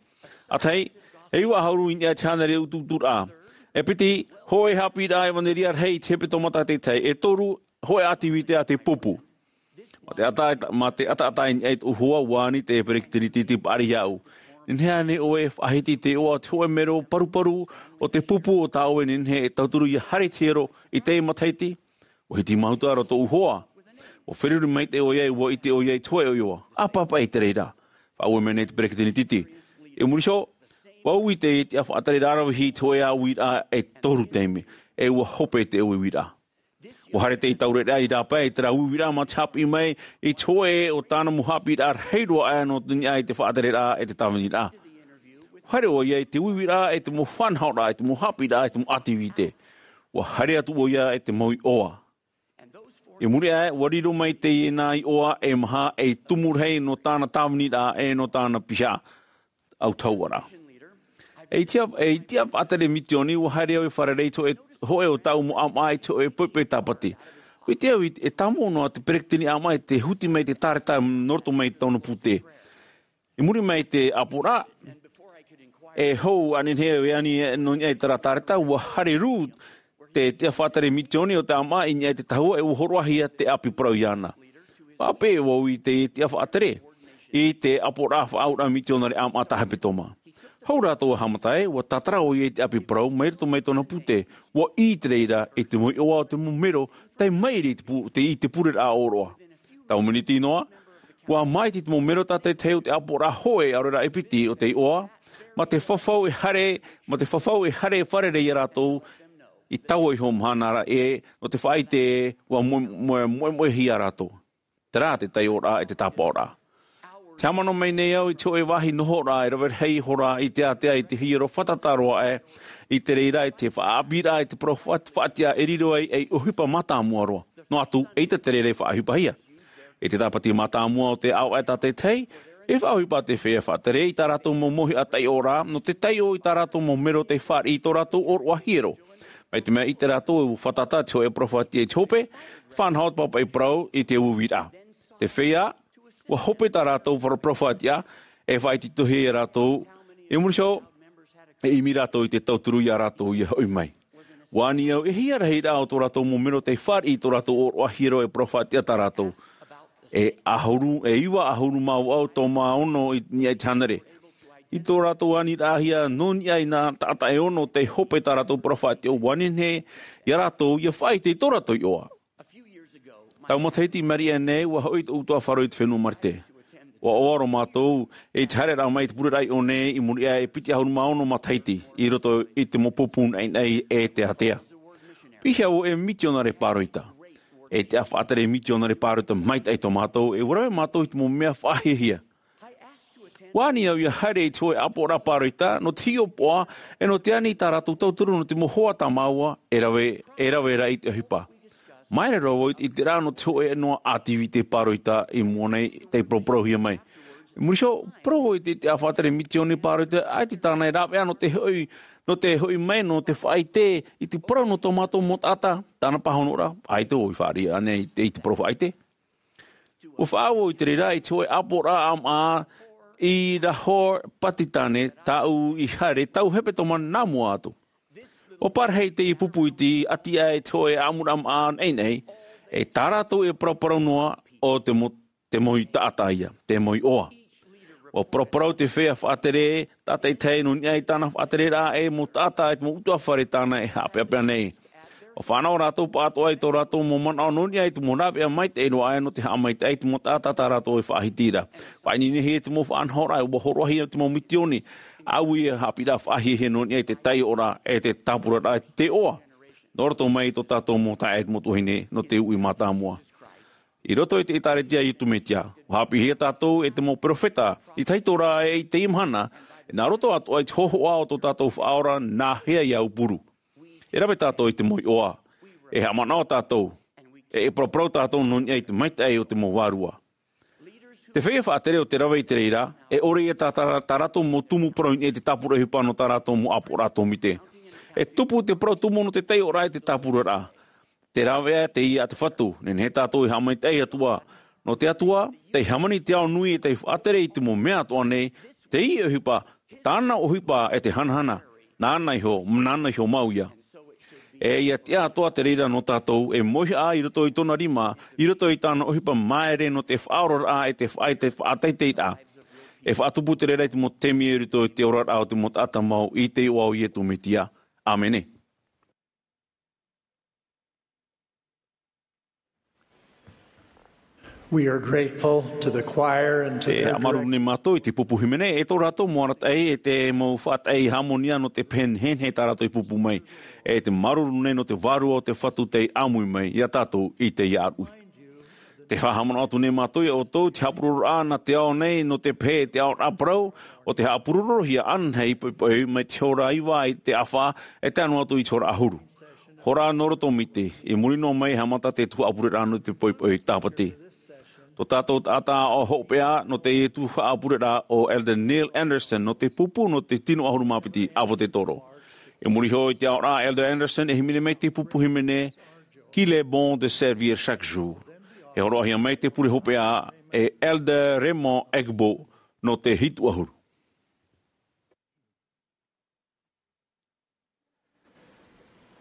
ʻA tahi, e iva ʻahuru i niʻa i te hānere utuuturaʻa. E piti, hōʻē haʻapiʻiraʻa ʻevanelia rahi i te hepetoma tātaʻitahi. E toru, hōʻē ʻātivite a te pupu. Mā te ʻata-, mā te ʻataʻata i niʻa i tōʻu hoa, ʻua ani te peresideni titi paʻari iāʻu. Nehenehe ānei ʻoe e faʻahiti i te iʻoa o te hōʻē mero paruparu o te pupu o tā ʻoe e nehenehe e tauturu ia haere i te hiero i teie matahiti? ʻUa hitimahuta ra tōʻu hoa. ʻUa feruri maitaʻi ʻoia, ʻua ʻite ʻoia i te hōʻē iʻoa. ʻĀpāpaʻi i te reira. Faʻaue mai nei te peresideni titi. I muri iho, ʻua ui te tiʻa faʻatere raravihi i te hōʻē uiraʻa e toru taime. E ʻua hope te uiuiraʻa. ʻUa haere te taureʻareʻa i rāpae i terā uiuiraʻa mā te haʻapiʻi mai i te hōʻē o tāna mau haʻapiʻiraʻa rahi roa aʻe nō niʻa i te faʻatereraʻa e te tāviniraʻa. ʻUa haere ʻoia i te uiuiraʻa e te mau faʻanahoraʻa, e te mau haʻapiʻiraʻa, e te mau ʻātivite. ʻUa haere atu ʻoia e te mau iʻoa. I muri aʻe, ʻua riro mai teie nā iʻoa e maha ei tumu rahi nō tāna tāviniraʻa e nō tāna pihaʻa autahuʻaraʻa. E tiʻa, e tiʻa faʻatere misioni, ʻua haere au e fārerei i te hōʻē, hōʻē o tāʻu mau ʻāmaʻa i te hōʻē poʻipoʻi tāpati. ʻUa ʻite au e tāmau noa te peresideni ʻāmaʻa i te huti mai te tāreta nō roto mai i tōna pūtē. I muri mai i te ʻāpoʻoraʻa, e hou ānei e ani nō niʻa i terā tāreta, ʻua haere rū te tiʻa faʻatere misioni o te ʻāmaʻa i niʻa i te tahua, e ʻua hōroʻahia te ʻāpī parau iāna. Pape vau i te tiʻa faʻatere i te ʻāpoʻoraʻa faʻaauraʻa mitionare ʻāmaʻa tā hepetoma. Hou rātou a haʻamata ē, ua tātara ʻoia i te ʻapi parau mai roto mai tōna pute, ua ʻī te reira i te mau iʻoa o te mau mero, tae mairi i te pu-, te, i te pureraʻa ʻōroʻa. Tau miniti noa, ua māiti te mau mero tātaitahi o te ʻāpoʻoraʻa hōʻē ʻaore rā e piti o te iʻoa, mā te fafau e haere, mā te fafau e haere fārerei ia rātou, i taua iho mahana ra ē, nō te faʻaʻite ē, ua moe-, moe-, moemoehia rātou. Terā te taiʻoraʻa e te tāpaʻoraʻa. Te haʻamanaʻo mai nei au i te hōʻē vāhi nohoraʻa e rave rahi ihora i te ātea i te hiero fātata roa aʻe, i te reira i te faʻaʻāpīraʻa i te parau faʻat-, faʻatiʻa e riro ai ei ʻohipa mātāmua roa. Noa atu, ʻeita te reira i faʻaʻohipahia. I te tāpati mātāmua o te ʻāvaʻe tātaitahi, e faʻaʻohipa te feiā faʻatere i tā rātou mau mauhaʻa taiʻoraʻa, nō te taiʻo i tā rātou mau mero tei fāriʻi i tō rātou ʻōroʻa hiero. Mai te mea ʻite rātou e fātata te hōʻē parau faʻatiʻa i te hope, faʻanaho te pāpaʻi parau i te uiuiraʻa. Te feiā, ua hope tā rātou parau faʻatiʻa, e faʻaitoitohia ia rātou, i muri iho, e ʻimi rātou i te tauturu ia rātou ia hoʻi mai. Ua ani au, e hia rahiraʻa o tō rātou mau mero tei fāriʻi i tō rātou ʻōroʻa hiero e parau faʻatiʻa tā rātou. E ʻahuru, e iva ʻahuru mā vaʻu tō mā ono i, i te hānere. I tō rātou aniraʻahia nō niʻa i nā taʻata e ono tei hope tā rātou parau faʻatiʻa, ua nehenehe ia rātou ia faʻaʻite i tō rātou iʻoa. Tau matahiti i maʻiri aʻe nei, ua hoʻi tōʻu tuaʻaro i te fenua Marite. Ua ʻoaʻoa roa mātou i te haereraʻa mai i te pureraʻa iʻo nei i muri aʻe e piti ʻahuru mā ono matahiti, i roto i te mau pupu naʻinaʻi e te ātea. Piha vau e mitionare pāroita. E tiʻa faʻatere mitionare pāroita maitaʻi tō mātou, e ʻua rave mātou i te mau mea faʻahiahia. Ua ani au ia haere i te hōʻē ʻāpoʻoraʻa pāroita, nō te hiʻopoʻa, e nō te ani i tā rātou tauturu nō te mau hoa tā māua, e rave, e rave ra i te ʻohipa. Māere roa vau i te, i te rā nō te hōʻē noa ʻātivite pāroita i mua nei, tei paraparauhia mai. I muri iho, parau i te, te tiʻa faʻatere mitione pāroita, ʻaita tāna e rāveʻa nō te hoʻi, nō te hoʻi mai, nō te faʻaʻite, i te parau nō tō mātou mau taʻata, tāna pāhonoraʻa, ʻaita vau i fāriʻi ānei i te, i te parau faʻaʻite. Ua faʻaau i te reira i te hōʻē ʻāpoʻoraʻa ʻāmaʻa i Lahore, Pakistan, tāʻu i haere, tau hepetoma nā mua atu. Ua parahi teie pupu iti, ʻati aʻe i te hōʻē ʻāmuraʻa ʻāmaʻa naʻinaʻi, e tā rātou e paraparau noa ʻo te mau, te mau taʻata ia, te mau iʻoa. Ua paraparau te feiā faʻatere, tātaitahi nō niʻa i tāna faʻatereraʻa e mau taʻata, e te mau ʻutuāfare tāna e haʻapeʻapeʻa nei. Ua fānaʻo rātou pāʻatoʻa i tō rātou mau manaʻo nō niʻa i te mau rāveʻa maitaʻi roa aʻe nō te haʻamaitaʻi i te mau taʻata tā rātou e faʻahitiraʻa. Faʻaineinehia te mau faʻanahoraʻa, ua hōroʻahia te mau mitione, ʻāuī e haʻapiʻiraʻa faʻahiahia nō niʻa i te taiʻoraʻa, e te tāpuraraʻa, e te iʻoa. Nō roto mai i tō tātou mau taeaʻe e te mau tuahine, nō te uʻi mātāmua. I roto i te ʻĒtārētia a Iesu Mesia, ua haʻapiʻihia tātou e te mau peropheta, i te hītoria e i teie mahana, e nā roto atoʻa i te hōhoʻa o tō tātou Faʻaora nā hea ia aupuru. E rave tātou i te mau iʻoa, e haʻamanaʻo tātou, e, e paraparau tātou nō niʻa i te maitaʻi o te mau vārua. Te feiā faʻatere o te rave i te reira, e ʻore ia tā, tā, tā rātou mau tumu parau i niʻa i te tāpura ʻohipa nō tā rātou mau ʻāpoʻoraʻa tōmite. E tupu te parau tumu nō te taiʻoraʻa e te tāpuraraʻa. Te rāveʻa teie a te Fatu, nehenehe tātou e haʻamaitaʻi atu ā. Nō te Atua, tei hāmani te ao nui e tei faʻatere i te mau mea atoʻa nei, teie ʻohipa, tāna ʻohipa e te hanahana, nāna iho, nāna iho mau ia. E ia tiʻa atoʻa te reira nō tātou, e mauhaʻa i roto i tōna rima, i roto i tāna ʻohipa māere nō te faʻaoraraʻa e te faʻa-, e te faʻateiteiraʻa. E faʻatupu te reira i te mau taime i roto i te oraraʻa o te mau taʻata mau i te iʻoa o Iesu Mesia. ʻĀmene. We are grateful to the choir and to E their haʻamāuruuru nei mātou i te pupu hīmene, e tō rātou mau arataʻi, e te mau faʻataʻi hāmonia nō te pehe nehenehe tā rātou i pupu mai. E te māuruuru nei nō te Vārua o te Fatu tei ʻāmui mai ia tātou i teie ʻāruʻi. Te faʻahaʻamanaʻo atu nei mātou ia ʻoutou, te haʻapurororaʻa nā te ao nei nō te pehe e te aoraʻa parau, ʻo te haʻapurorohia anaʻe i poʻipoʻi mai te hora iva i te ʻāfa, e tae noa atu i te hora ʻahuru. Hora nō roto miti, i muri noa mai e haʻamata te tuhaʻa pureraʻa nō te poʻipoʻi Tāpati. Tō tātou taʻata aʻo hopeʻa nō teie tuhaʻa pureraʻa ʻo Elder Neil Andersen nō te pupu nō te tino ʻahuru mā piti ʻāpōsetolo. I muri iho i te aoraʻa a Elder Andersen e hīmene mai te pupu hīmene, Qu'il est bon de servir chaque jour. E hōroʻahia mai te pure hopeʻa e Elder Raymond Egbo nō te hitu ʻahuru.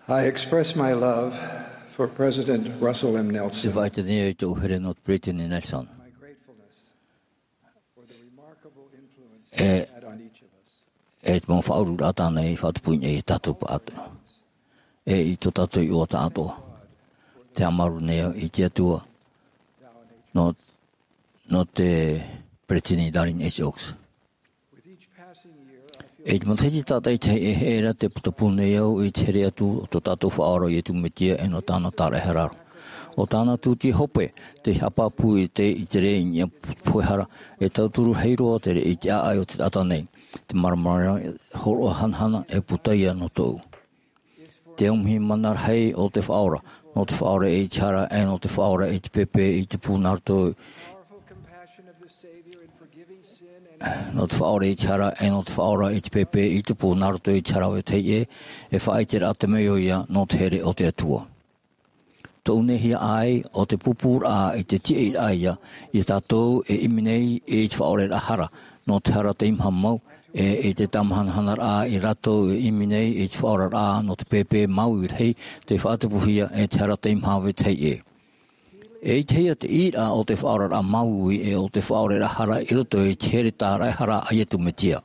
I express my love For President Russell M. Nelson, te faʻaʻite nei au i tōʻu here nō te Peresideni Nelson. My gratefulness for the remarkable influence he had on each of us. E te mau faʻaururaʻa tāna i faʻatupu nei iā tātou pāʻatoʻa. E i tō tātou iʻoa tāʻatoʻa. Te haʻamāuruuru nei au i te Atua. Nō, nō te Peresideni Dallin H. Oaks. E i te matahiti tātaʻitahi e here ra te putapū nei au i te here atu o tō tātou Faʻaora ʻo Iesu Mesia e nō tāna tāraʻehara ra. ʻO tāna tūtia hope, te haʻapāpū i te, i te rē i niʻa pohe hara, e tauturu rahi roa te rē i te ʻāʻai o te taʻata nei. Te māramarama hōroʻa hanahana e puta ia nō tōʻu. Te aumihi mana rahi o te Faʻaora, nō te Faʻaora i te hara, e nō te Faʻaora i te pēpē i tupu nā roto, nō te Faʻaora i te hara, e nō te Faʻaora i te pēpē i tupu nā roto i te hara vetahi ʻē, e faʻaʻiteraʻa te mea ʻoia nō te here o te Atua. Tōʻu nei hiaʻai, ʻo te pūpūraʻa i te tiaʻiraʻa ia, iā tātou e ʻimi nei i te faʻaoreraʻa hara, nō te hara teimaha mau, e i te tāmahanahanaʻa ia rātou e ʻimi nei i te faʻaoraraʻa nō te pēpē māuiui rahi, tei faʻatupuhia e te hara teimaha vetahi ʻē. E ʻitehia te ʻīraʻa o te faʻaoraraʻa māuiui e o te faʻaoreraʻa hara i roto i te here tāraʻehara a Iesu Mesia.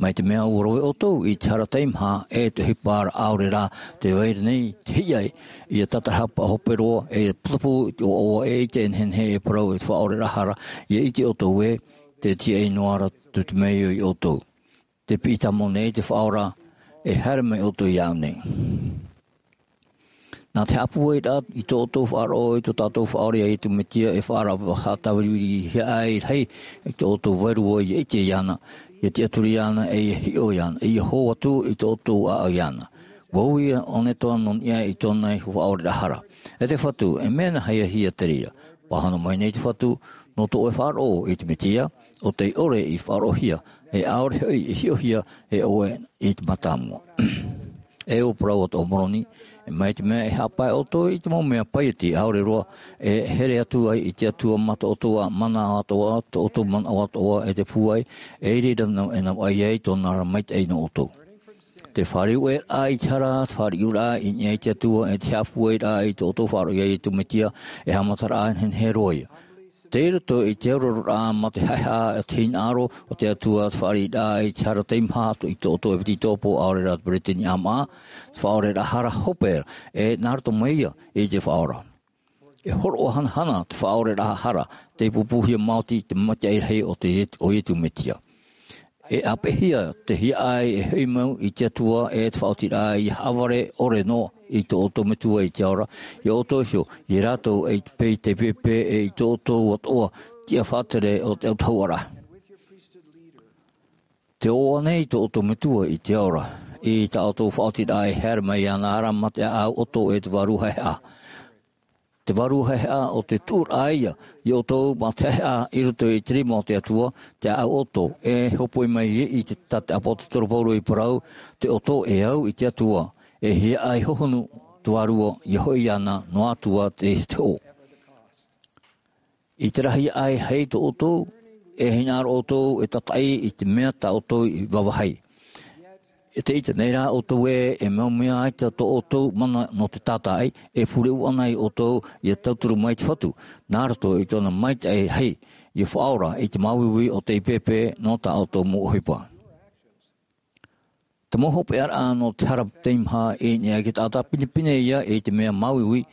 Mai te mea ʻua rave ʻoutou i te hara teimaha e te ʻohipa ʻaore rā tē vai ra nei te hiaʻai, ʻia tātarahapa hope roa, e putapū i te ʻoaʻoa e ʻite e nehenehe e parau e te faʻaoreraʻa hara, ʻia ʻite ʻoutou ē, tē tiaʻi noa atu te mea ʻoia iā ʻoutou. Te piʻi tāmau nei te Faʻaora, e haere mai ʻoutou iāʻu nei. Nā te haʻapūairaʻa i tō ʻoutou faʻaroʻo i tō tātou Faʻaora ʻo Iesu Mesia e faʻaara-, faʻatāviriviri hiaʻai rahi i tō ʻoutou vārua ʻia ʻite iāna, ʻia tiʻaturi iāna, e ʻia hiʻo iāna, e ʻia hō atu i tō ʻoutou ʻāʻau iāna. ʻUa ui ʻōnetoa nō niʻa i tōna faʻaoreraʻa hara. E te Fatu, e mea nāhea hia te reira? Pāhono mai nei te Fatu, nō tō ʻoe faʻaroʻo i te Mesia, ʻo tei ʻore i faʻaroʻohia, e ʻaore hoʻi i hiʻohia e ʻoe i te mātāmua. E ʻua parau atoʻa Moroni, e mai te mea e haʻapae ʻoutou i te mau mea paieti ʻaore roa, e here atu ai i te Atua mā tō ʻoutou mana atoʻa, tō ʻoutou manaʻo atoʻa e te pūai, e i reira nō, e navaʻi ai tōna ra maitaʻi nō ʻoutou. Te fāriu ʻē i te hara, te fāriuraʻa i niʻa i te Atua, e te haʻapūairaʻa i tō ʻoutou faʻaroʻo iā Iesu Mesia, e haʻamataraʻa nehenehe roa ia. Tei roto i te aroraʻa mā te haʻehaʻa, te hinaʻaro o te Atua, te fāriuraʻa i te hara teimaha i tō ʻoutou ʻepetitopo ʻaore rā te peresideni ʻāmaʻa, te faʻaoreraʻa hara hope, e nā roto mai ia i te Faʻaora. E hōroʻa hanahana te faʻaoreraʻa hara, tei pūpūhia maoti te maitaʻi rahi o te Iet-, ʻo Iesu Mesia. E ʻāpeʻehia te hiaʻai e hoʻi mau i te Atua e te faʻaotiraʻa ʻia haʻavare ʻore noa i tō ʻoutou Metua i te ao ra, iā ʻoutou iho, iā rātou e i te pē-, te pēpē e i tō ʻoutou atoʻa tiʻa faʻatere o te autahuʻaraʻa. Tē ʻoaʻoa nei tō ʻoutou Metua i te ao ra, i tā ʻoutou faʻaotiraʻa e haere mai iāna ra mā te ʻāʻau ʻoto e te vārua haʻehaʻa. Te vārua haʻehaʻa ʻo te tuʻuraʻa ia, iā ʻoutou mā te haʻehaʻa i roto i te rima o te Atua, te ʻāʻau ʻoto, e hōpoi mai i te, tā te ʻāpōsetolo Paulo i parau, te ʻoto e au i te Atua, e hiaʻai hohonu te vārua, ʻia hoʻi iāna noa atu ā te, te hoʻo. I te rahi aʻe hei tō ʻoutou, e hinaʻaro ʻoutou e tātaʻi i te mea tā ʻoutou i vāvāhi. E te ʻite nei rā ʻoutou ē, e mau mea ʻaita tō ʻoutou mana nō te tātaʻi, e pure ʻana iā ʻoutou ʻia tauturu mai te Fatu, nā roto i tōna maitaʻi rahi, ʻia faʻaora i te māuiui o tei pēpē nō tā ʻoutou mau ʻohipa. Te mau hopeʻaraʻa nō te hara teimaha i niʻa i te taʻata pinepine ia i te mea māuiui,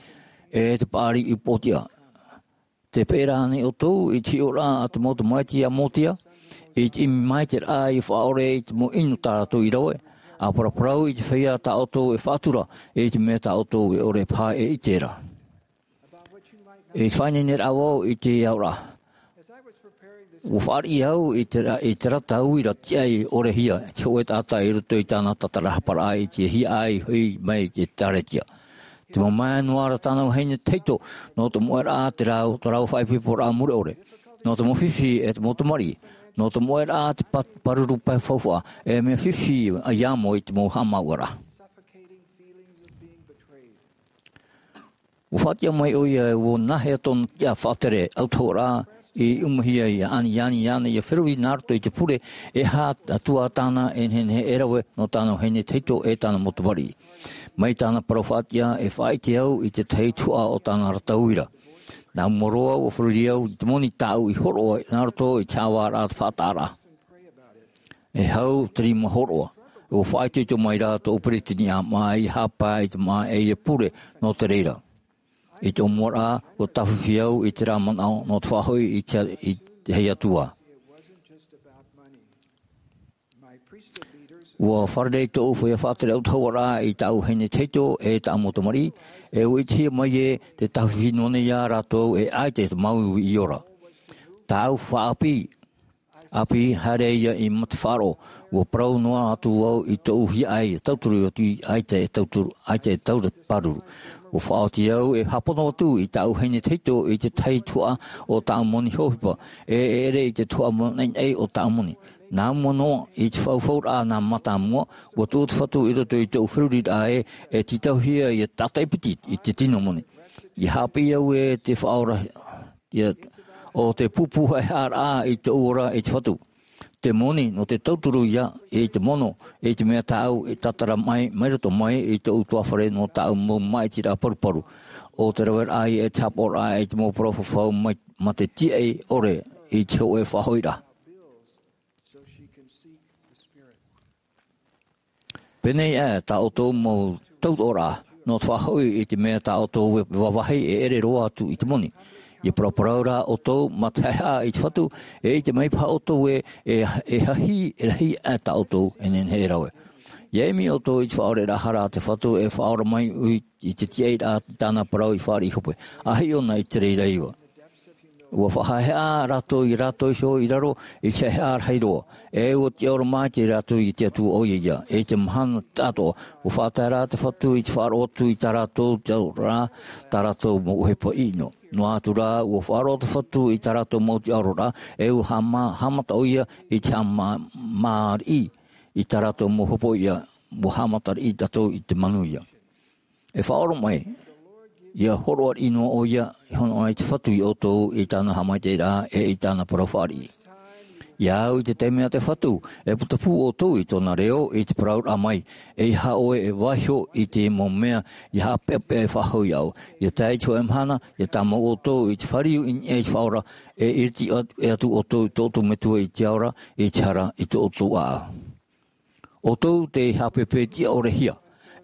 e te paʻari upoʻotiʻa. Tē peʻe ra ānei ʻoutou i te hiʻoraʻa a te mau tamaiti a Mosia, i te ʻimi maitaʻi raʻa ʻia faʻaora i te mau inu tā rātou i rave, ʻa paraparau i te feiā tā ʻoutou e faʻatura, i te mea tā ʻoutou e ʻore paha e ʻite ra. I te faʻaineineraʻa vau i te aoraʻa. ʻUa fāriʻi au i te, i te rata uira tiʻa i ʻorehia, te hōʻē taʻata i roto i tāna tātarahaparaʻa i te hiaʻai hoʻi mai i te ʻĒkālesia. Te mamae noa ra tāna vahine tahito, nō te moʻeraʻa te rau, te rau faʻaipoiporaʻa mure ʻore. Nō te mau fifi e te mau tamariʻi. Nō te moʻeraʻa te pa-, pāruru pae faufaʻa, e mea fifi ʻia amo i te mau haʻamāuʻaraʻa. ʻUa faʻatiʻa mai ʻoia e ʻua nāhea tōna tiʻa faʻatere, autahuʻaraʻa, i umahia ia ani ani ana ia feruri nā roto i te pure e hā atu ā tāna e nehenehe e rave nō tāna vahine tahito e tāna mau tamariʻi. Mai tāna parau faʻatiʻa e faʻaʻite au i te tahi tuhaʻa o tāna rata uira. Nā mua roa ua feruri au i te moni tāʻu i horoʻa nā roto i te haʻavāraʻa faʻataʻaraʻa. E hau te rima horoʻa. Ua faʻaitoito mai rā tōʻu peretiteni ʻāmaʻa i hāpaʻo i te māʻa e ia pure nō te reira. I tōʻu mua rā ua tāfifi au i te rā manaʻo nō te faʻahoʻi i te i te hei atua. Ua fārerei tōʻu feiā faʻatere autahuʻaraʻa i tāʻu vahine tahito e tāʻu mau tamariʻi, e ua ʻitehia mai ē te tāfifi noa nei iā rātou e ʻaita te mau i ora. Tāʻu faʻaʻāpī ʻāpī haere ia i matafaʻaroʻo. Ua parau noa atu au i tōʻu hiaʻai e tauturu atu i ʻaita e tauturu ʻaita e taura pāruru. Ua faʻaoti au e hāpono atu i tāʻu vahine tahito i te tahi tuhaʻa o tāʻu moni hōhipa e ʻere i te tuhaʻa moni naʻinaʻi o tāʻu moni. Nā mua noa i te faufauraʻa nā mātāmua ua tuʻu te fatu i roto i tōʻu feruriraʻa ē e tītauhia ia tātaʻi piti i te tino moni. I haʻapiʻi au e te faʻaora ia o te pupu haʻehaʻaraʻa i tōʻu ora i te fatu. Te moni nō te tauturu ia i te mono i te mea tāʻu i tātara mai mai roto mai i tōʻu tuāfare nō tāʻu mau māʻitiraʻa paruparu. O te raveraʻa ia e te hāpaʻoraʻa i te mau parau fafau mai mā te tiaʻi ʻore i te hōʻē faʻahoʻiraʻa. Pēnei ā tā ʻoutou mau tautoʻoraʻa nō te faʻahoʻi i te mea tā ʻoutou e vāvāhi e ʻere roa atu i te moni. Ia paraparau rā ʻoutou mā te haʻehaʻa i te fatu e ʻite mai paha ʻoutou ē e e hahi e rahi ā tā ʻoutou e nehenehe e rave. Ia ʻimi ʻoutou i te faʻaoreraʻa hara a te fatu e faʻaora mai ui i te tiaʻiraʻa i tāna parau i fāriʻi hope. A hiʻo na i te reira iva. Ua faʻahaʻehaʻa rātou i rātou iho i raro i te haʻehaʻa rahi roa. E ua tiʻaoro mai te rātou i te atua ʻoia ia e te mahana taʻatoʻa. Ua faʻatae rā te fatu i te faʻaroʻo atu i tā rātou te aroraʻa tā rātou mau ʻohipa ʻino. Noa atu rā ua faʻaroʻo te fatu i tā rātou mau tiʻaororaʻa e ua haʻamā haʻamata ʻoia i te haʻamāriʻi i tā rātou mau hopoiʻa. Ua haʻamatariʻi tātou i te manuia. E faʻaora mai ia horoʻa riʻi noa ʻoia i hono ʻana i te fatu i ʻoutou i tāna haʻamaitaʻiraʻa e i tāna parau fāriʻi. Ia au i te taime a te fatu e putapū ʻoutou i tōna reo i te parauraʻa mai e ia haʻaʻoe e vaiho i te mau mea ia haʻapeʻapeʻa e faʻahoʻi au ia tae i te hōʻē mahana ia tāmau ʻoutou i te fāriu i niʻa i te faʻaora e iriti atu ʻoutou i tō ʻoutou metua i te aora i te hara i tō ʻoutou ʻāʻau. ʻOutou tei haʻapēpē tiʻaorehia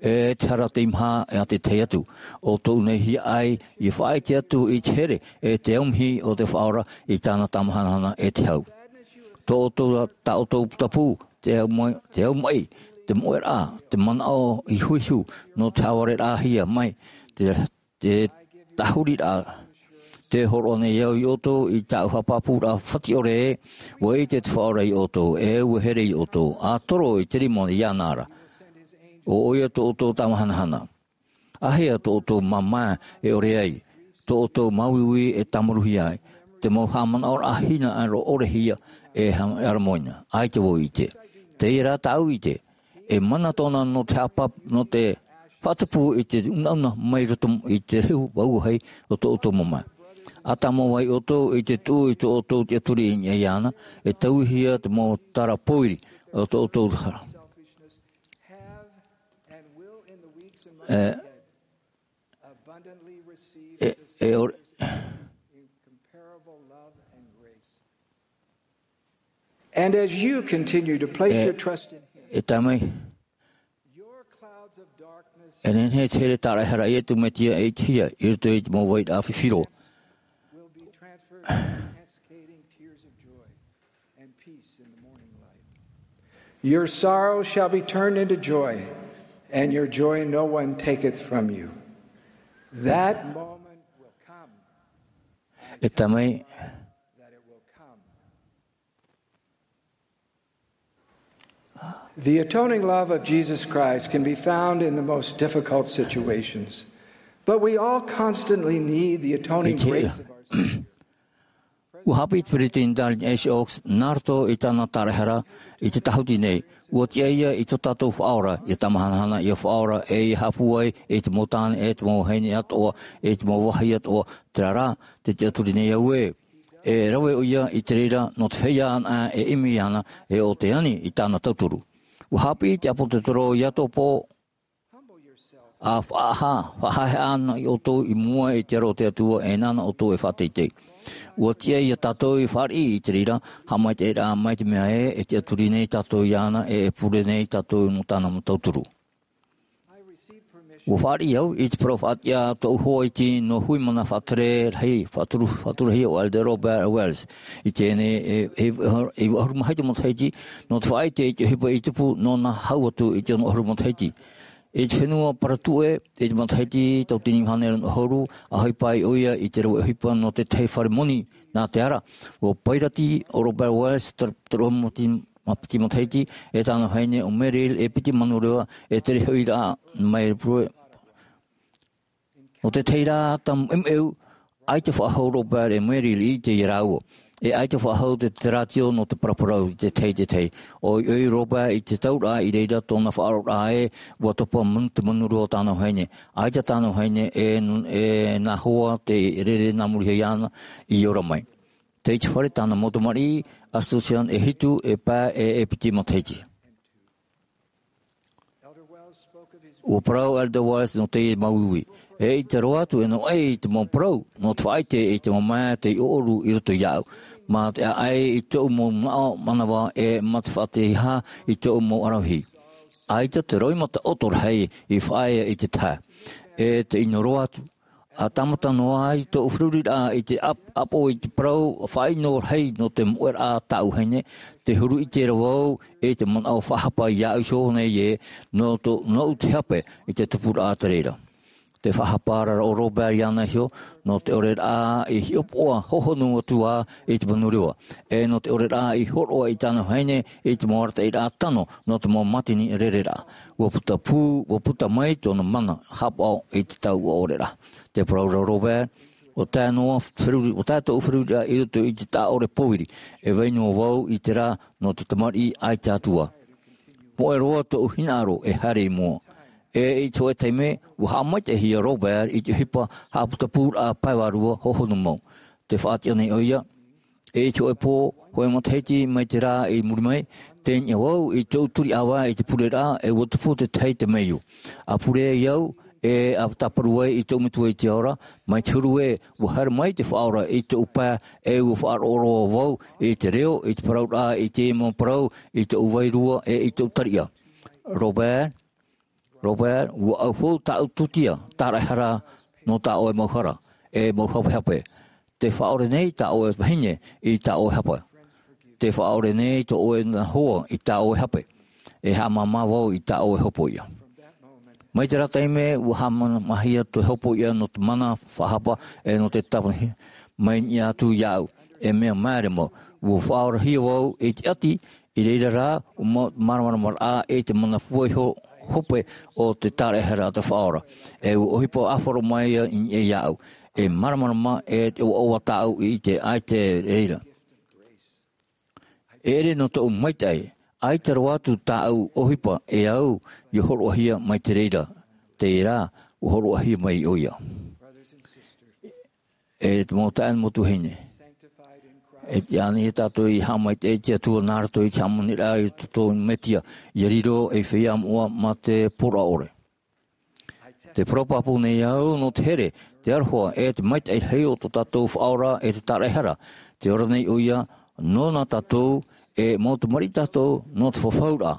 e te hara tei maha e a te tahi atu. ʻOutou nei hiaʻai i faʻaʻite atu i te here e te aumihi o te faʻaora i tāna tamahanahana e te hau. Tō ʻoutou tā ʻoutou putapū te au mai te au mai te moʻeraʻa te manaʻo i huihu nō te haʻavareraʻahia mai te te tahuriraʻa. Te horoʻa nei au i ʻoutou i tāʻu haʻapāpūraʻa fatiʻore ē ua ʻite te faʻaora i ʻoutou e ua here i ʻoutou a toro i te rima iāna ra. ʻO ʻoia tō ʻoutou tamahanahana. Āhea tō ʻoutou māmā e ʻore ai tō ʻoutou māuiui e tāmaruhia ai te mau haʻamanaʻoraʻa hinaʻaro ʻorehia e hana e aramoina ai te vau ʻite. Teie rā tāʻu ʻite e mana tōna nō te haʻapa nō te faʻatupu i te unauna mai roto i te rehu vauahi o tō ʻoutou mamae. A tāmau ai ʻoutou i te tuʻu i tō ʻoutou tiʻaturi i niʻa iāna e tauihia te mau tara pōiri o tō ʻoutou hara. E e ʻore And as you continue to place your trust in Him, e tae mai e nehenehe te here tāraehara ia tū metia e i te hia i roto i te mau vairaʻa fifiro. Will be transferred to cascading tears of joy and peace in the morning light. Your sorrow shall be turned into joy, and your joy no one taketh from you. That moment will come. E tae mai that it will come. The atoning love of Jesus Christ can be found in the most difficult situations, but we all constantly need the atoning grace of our Savior. Ua haʻapiʻi te peretiteni Dallin H. Oaks nā roto i tāna tāraehara i te tahuti nei. Ua tiʻa ia i tō tātou faʻaora ia tamahanahana ia faʻaora e ia haʻapūai i te mau tāne e te mau vahine atoʻa i te mau vāhi atoʻa. Terā rā te tiʻaturi nei au ē E rave ʻoia i te reira nō te feiā anaʻe e ʻimi iāna, e ʻo te ani i tāna tauturu. ʻUa haʻapiʻi te ʻāpōsetolo iā Iakobo, ʻa faʻaha-, faʻahaʻehaʻa ana ʻoutou i mua i te aro o te Atua, e nāna ʻoutou e faʻateitei. ʻUa tiʻa iā tātou i fāriʻi i te reira, haʻamaitaʻiraʻa mai te mea ē, e tiʻaturi nei tātou iāna, e, e pure nei tātou nō tāna mau tauturu. ʻUa fāriʻi au i te parau faʻatiʻa tōʻu hoa iti nō hui mana faʻatere rahi, faʻaturu, faʻaturahia ʻo Elder Robert Wells. I teie nei, e, e, e vaʻu ʻahuru ma hitu matahiti, nō te faʻaʻite i te ʻohipa i tupu nōna hau atu i te ono ʻahuru matahiti. I te fenua Paratuʻe, i te matahiti tauatini iva hānere noa ʻahuru, ʻa ʻohipa ai ʻoia i te rave ʻohipa nō te tahi fare moni nā te ara. ʻUa pairati ʻo Robert Wells, te, te roa moti ma piti matahiti, e tāna vahine ʻo Meryl, e piti manu reva, e tere hoʻi rā mai Paratuʻe. Nō te tahi rā taʻamu ʻemuʻemu, ʻaita faʻahou Robert e Meryl i te ia rāua. E ʻaita faʻahou te, te rātio nō te paraparau i te tahi, te tahi. ʻOiʻoi Robert i te tauraʻa i reira tōna faʻaroʻoraʻa ē, ʻua topa manu, te manu reva o tāna vahine. ʻAita tāna vahine e, e nā hoa te rere nā muri iho iāna i ora mai. Tei te fare tāna mau tamariʻi, ʻa Susan e hitu, e pae e, e piti matahiti. ʻUa parau Elder Wells nō teie mau uiui. E ʻite roa atu e nō ʻai i te mau parau, nō te faʻaʻite i te mamae tei ʻoʻoru i roto iāʻu. Mā te ʻaʻai i tōʻu mau manaʻo manava e mā te faʻaʻiteʻa i tōʻu mau ʻaravihi. ʻAita te roimata ʻoto rahi i faʻaea i te tahi. E te ʻino roa atu. ʻA tāmata noa ai tōʻu feruriraʻa i te ʻap-, ʻapo i te parau faʻaʻino rahi nō te moʻeraʻa tāʻu vahine, te huru ʻite ra vau i te manaʻo faʻahapa iāʻu iho nei ē, nō tō, nōʻu te hape i te tupuraʻa te reira. Te faʻahapa ra ʻo Robert iāna iho, nō te ʻoreraʻa i hiʻopoʻa hohonu atu ā i te manu reva. E nō te ʻoreraʻa i hōroʻa i tāna vahine i te mau arataʻiraʻa tano nō te mau mātini rereraʻa. ʻUa puta pū, ʻua puta mai tōna mana haʻapaʻo i te taua ʻoreraʻa. Te parau ra ʻo Robert, ʻua tae noa feruri, ʻua tae tōʻu feruriraʻa i roto i te taʻa ʻore pōiri. E vai noa vau i terā nō te tamariʻi ʻaita atu ā. Moʻe roa tōʻu hinaʻaro e haere i mua. E i te hōʻē taime, ʻua haʻamaitaʻihia Robert i te ʻohipa haʻaputapūraʻa pae vārua hohonu mau. Tē faʻatiʻa nei ʻoia, e i te hōʻē pō, hōʻē matahiti mai te rā i muri mai, tei niʻa vau i tōʻu turiʻāvae i te pureraʻa, e ʻua tupu te tahi temeio. ʻA pure ai au, e ʻa tāparu ai i tōʻu Metua i te ao ra, mai te huru ē, ʻua haere mai te Faʻaora i tōʻu pae, e ʻua faʻaroʻo roa vau i te reo, i te parauraʻa, i te mau parau, i tōʻu vairua, e i tōʻu tariʻa. Robert, Robert, ʻua ʻauhau tāʻu tūtia, tāraʻehara nō tā ʻoe mau hara, e mau hapehape. Tē faʻaʻore nei tā ʻoe vahine i tā ʻoe hape. Tē faʻaʻore nei tō ʻoe nā hoa i tā ʻoe hape. E haʻamāmā vau i tā ʻoe hopoiʻa. Mai terā taime, ʻua haʻamāmāhia te hopoiʻa nō te mana faʻahapa e nō te tāpani mai niʻa atu iāʻu. E mea māere mau, ʻua faʻaorahia vau i te ʻati, i reira rā, ʻua mā-, māramarama rā i te mana fua iho hope o te tāraʻehara a te Faʻaora. E ʻua ʻohipa ʻāfaro mai ia i niʻa iāʻu. E māramarama e te ʻoaʻoa tāʻu i te ʻaita e reira. E ʻere nō tōʻu maitaʻi, ʻaita roa atu tāʻu ʻohipa e au ia hōroʻahia mai te reira. Terā, ʻua hōroʻahia mai ʻoia. E te mau taeaʻe, mau tuahine. E tiʻa anaʻe tātou i haʻamaitaʻi i te Atua nā roto i te hāmaniraʻa i tō tātou Mesia, ʻia riro ei feiā moʻa mā te poroʻa ʻore. Tē parau pāpū nei au nō te here, te aroha, e te maitaʻi rahi o tō tātou Faʻaora e te tāraʻehara. Tē ora nei ʻoia, nōna tātou, e mau tamariʻi tātou, nō te fafauraʻa.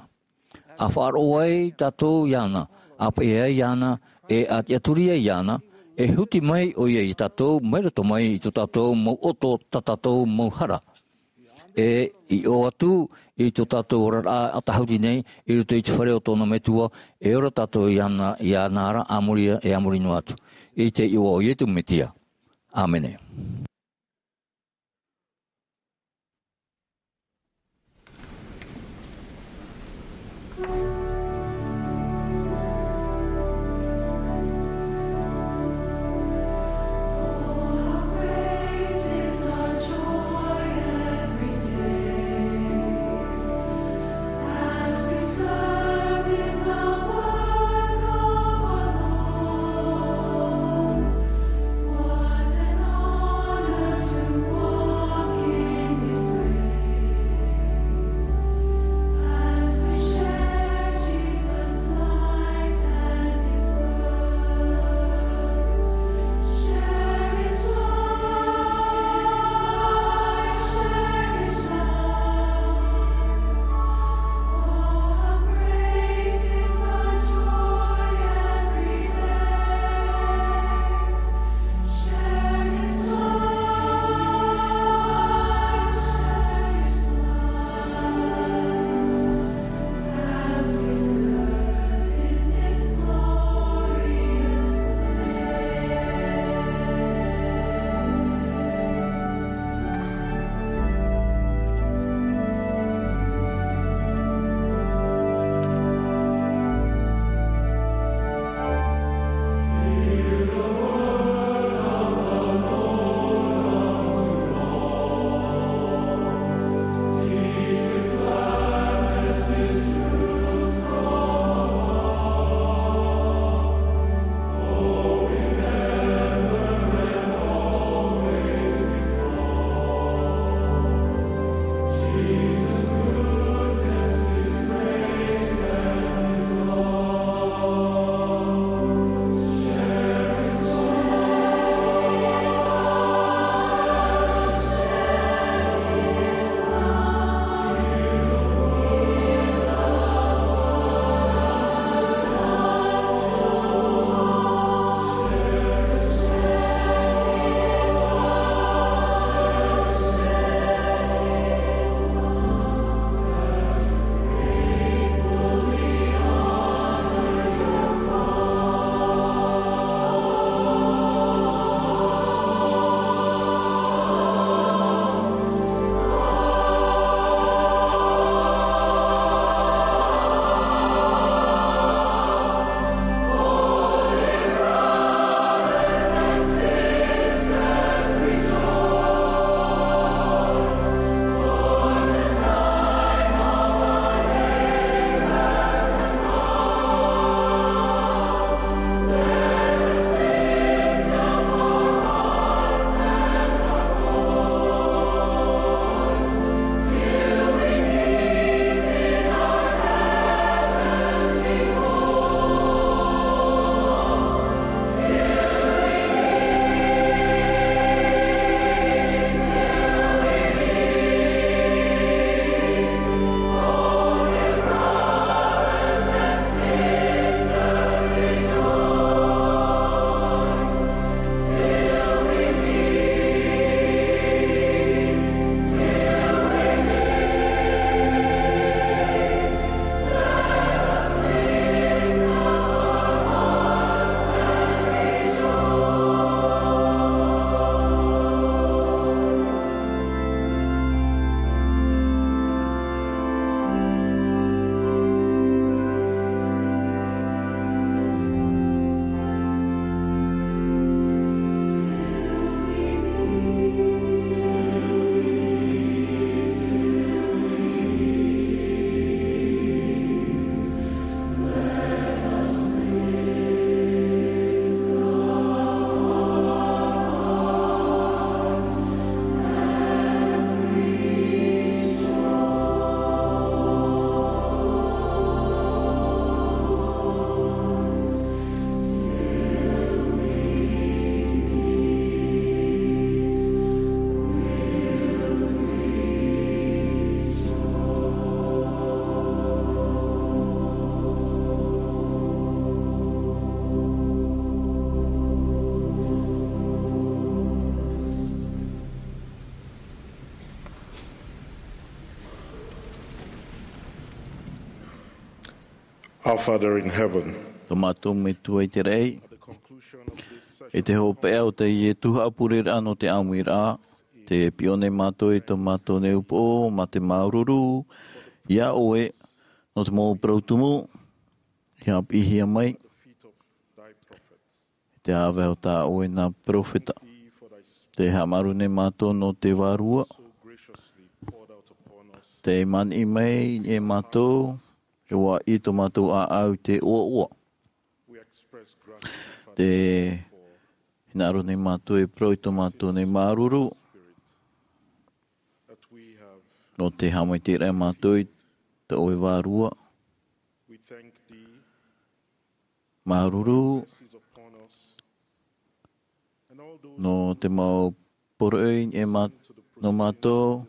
ʻA faʻaroʻo ai tātou iāna, ʻa peʻe ai iāna, e ʻa tiʻaturi ai iāna, e huti mai ʻoia ia tātou, mai roto mai i tō tātou mau ʻoto, tā tātou mau hara. E i ʻō atu i tō tātou oraraʻa ʻatahuti nei, i roto i te fare o tōna Metua, e ora tātou iāna, iāna ra, a muri, e a muri noa atu. I te iʻoa o Iesu Mesia. ʻĀmene. Our Father in heaven, tō mātou Metua i te raʻi, at the conclusion of this session, i te hopeʻa o teie tuhaʻa pureraʻa nō te ʻāmuiraʻa, tē piʻo nei mātou i tō mātou nei upoʻo mā te māuruuru iā ʻoe nō te mau parau tumu i haʻapiʻihia mai, at the feet of thy prophets. Te ʻāvae o tā ʻoe nā peropheta. Te haʻamāuruuru nei mātou nō te Vārua. Tē maniʻi mai e mātou, e ʻua ʻī i tō mātou ʻāʻau i te ʻoaʻoa. Te hinaʻaro nei mātou e parau i tō mātou nei māuruuru. Nō te haʻamaitaʻiraʻa mātou i tō ʻoe Vārua. Māuruuru nō te mau poroʻi e mā-, nō mātou,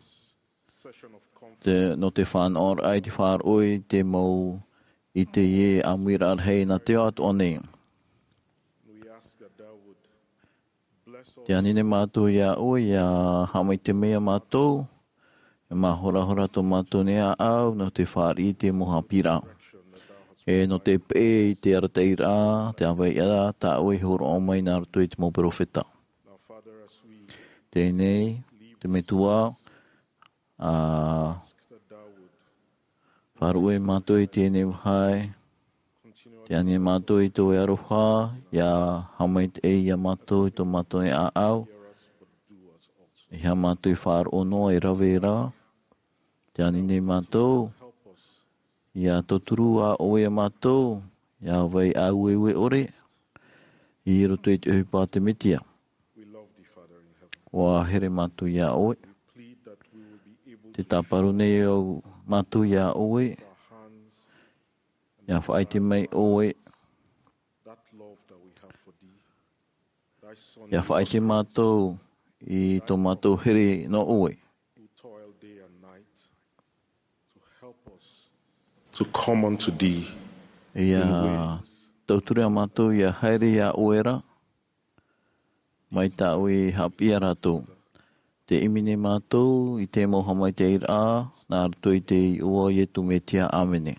te, nō te fānaʻoraʻa i te faʻaroʻo i te mau i teie ʻāmuiraʻa rahi nā te ao atoʻa nei. Tē ani nei mātou iā ʻoe, ʻia haʻamaitaʻi mai iā mātou, e mahorahora tō mātou nei ʻāʻau, nō te fāriʻi i te mau haʻapiʻiraʻa. E nō te peʻe i te arataʻiraʻa, te ʻāvaeʻa tā ʻoe i hōroʻa mai nā roto i te mau peropheta. Teie nei, te Metua, ʻa faʻaruʻe mātou i teie nei vāhi. Tē ani nei mātou i tō ʻoe aroha, ʻia haʻamaitaʻi iā mātou i tō mātou nei ʻāʻau. ʻEiaha mātou i faʻaroʻo noa e rave ra. Tē ani nei mātou, ʻia tauturu ā ʻoe iā mātou, ʻia vai ʻāueue ʻore, i roto i te ʻohipa a te Mesia. ʻUa here mātou iā ʻoe. Tē tāparu nei au mātou iā ʻoe, ʻia faʻaʻite mai ʻoe, ʻia faʻaʻite mātou i tō mātou here nō ʻoe. To come unto thee. ʻIa tauturu iā mātou ʻia haere iā ʻoe ra, mai tā ʻoe i haʻapiʻi iā rātou. Tē ʻimi nei mātou i te mau haʻamaitaʻiraʻa, nā roto i te iʻoa o Iesu Mesia, ʻāmene.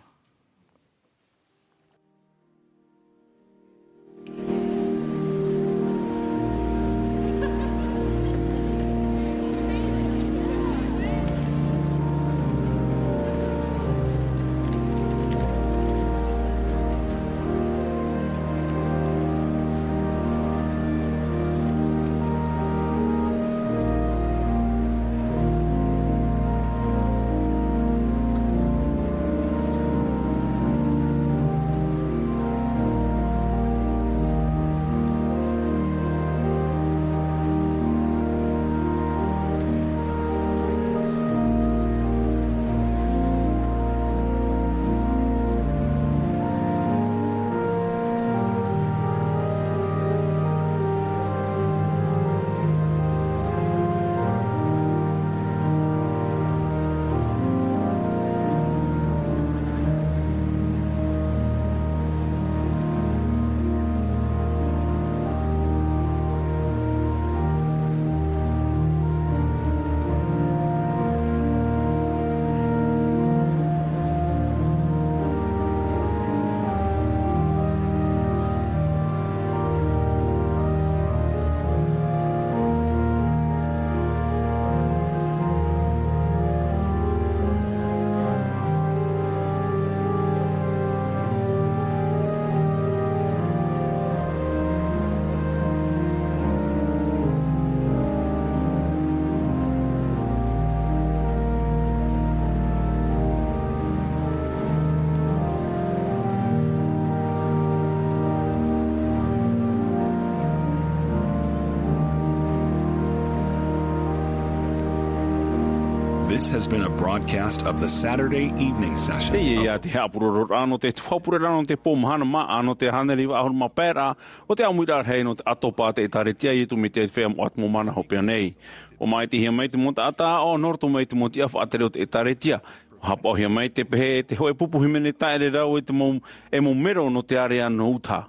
This has been a broadcast of the Saturday evening session. Teie ia te haʻapurororaʻa nō te tuhaʻa pureraʻa nō te pō mahana māʻa nō te hānere iva ʻahuru mā pae ra o te ʻāmuiraʻa rahi nō te ʻātopa a te ʻĒtārētia a Iesu Mesia i te Feiā Moʻa Atomo Mana Hopeʻa nei. ʻUa maitaʻihia mai te mau taʻata aʻo nō roto mai te mau tiʻa faʻatere o te ʻĒtārētia. ʻUa haʻapaʻohia mai te pehe e te hōʻē pupu hīmene taʻere rau e te mau, e mau mero nō te ārea nō Utaha.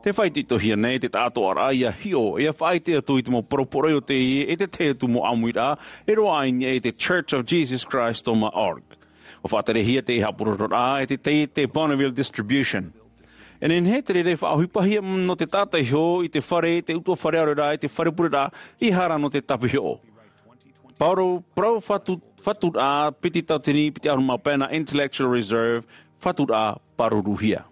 Tē faʻaitoitohia nei te taʻatoʻaraʻa ʻia hiʻo, ʻia faʻaʻite atu i te mau parau poroʻi o teie e te tahi atu mau ʻāmuiraʻa e roaʻa i niʻa i te Church of Jesus Christ dot org. Ua faʻaterehia te haʻapurororaʻa e te tei te Bonneville Distribution. E nehenehe te reira e faʻaʻohipahia nō te taʻata iho i te fare, te utuafare ʻaore rā i te fare pureraʻa i hara nō te tāpihoʻo. Parau, parau fatu, faturaʻa piti tauatini piti ʻahuru mā pae nā Intellectual Reserve, faturaʻa pāruruhia.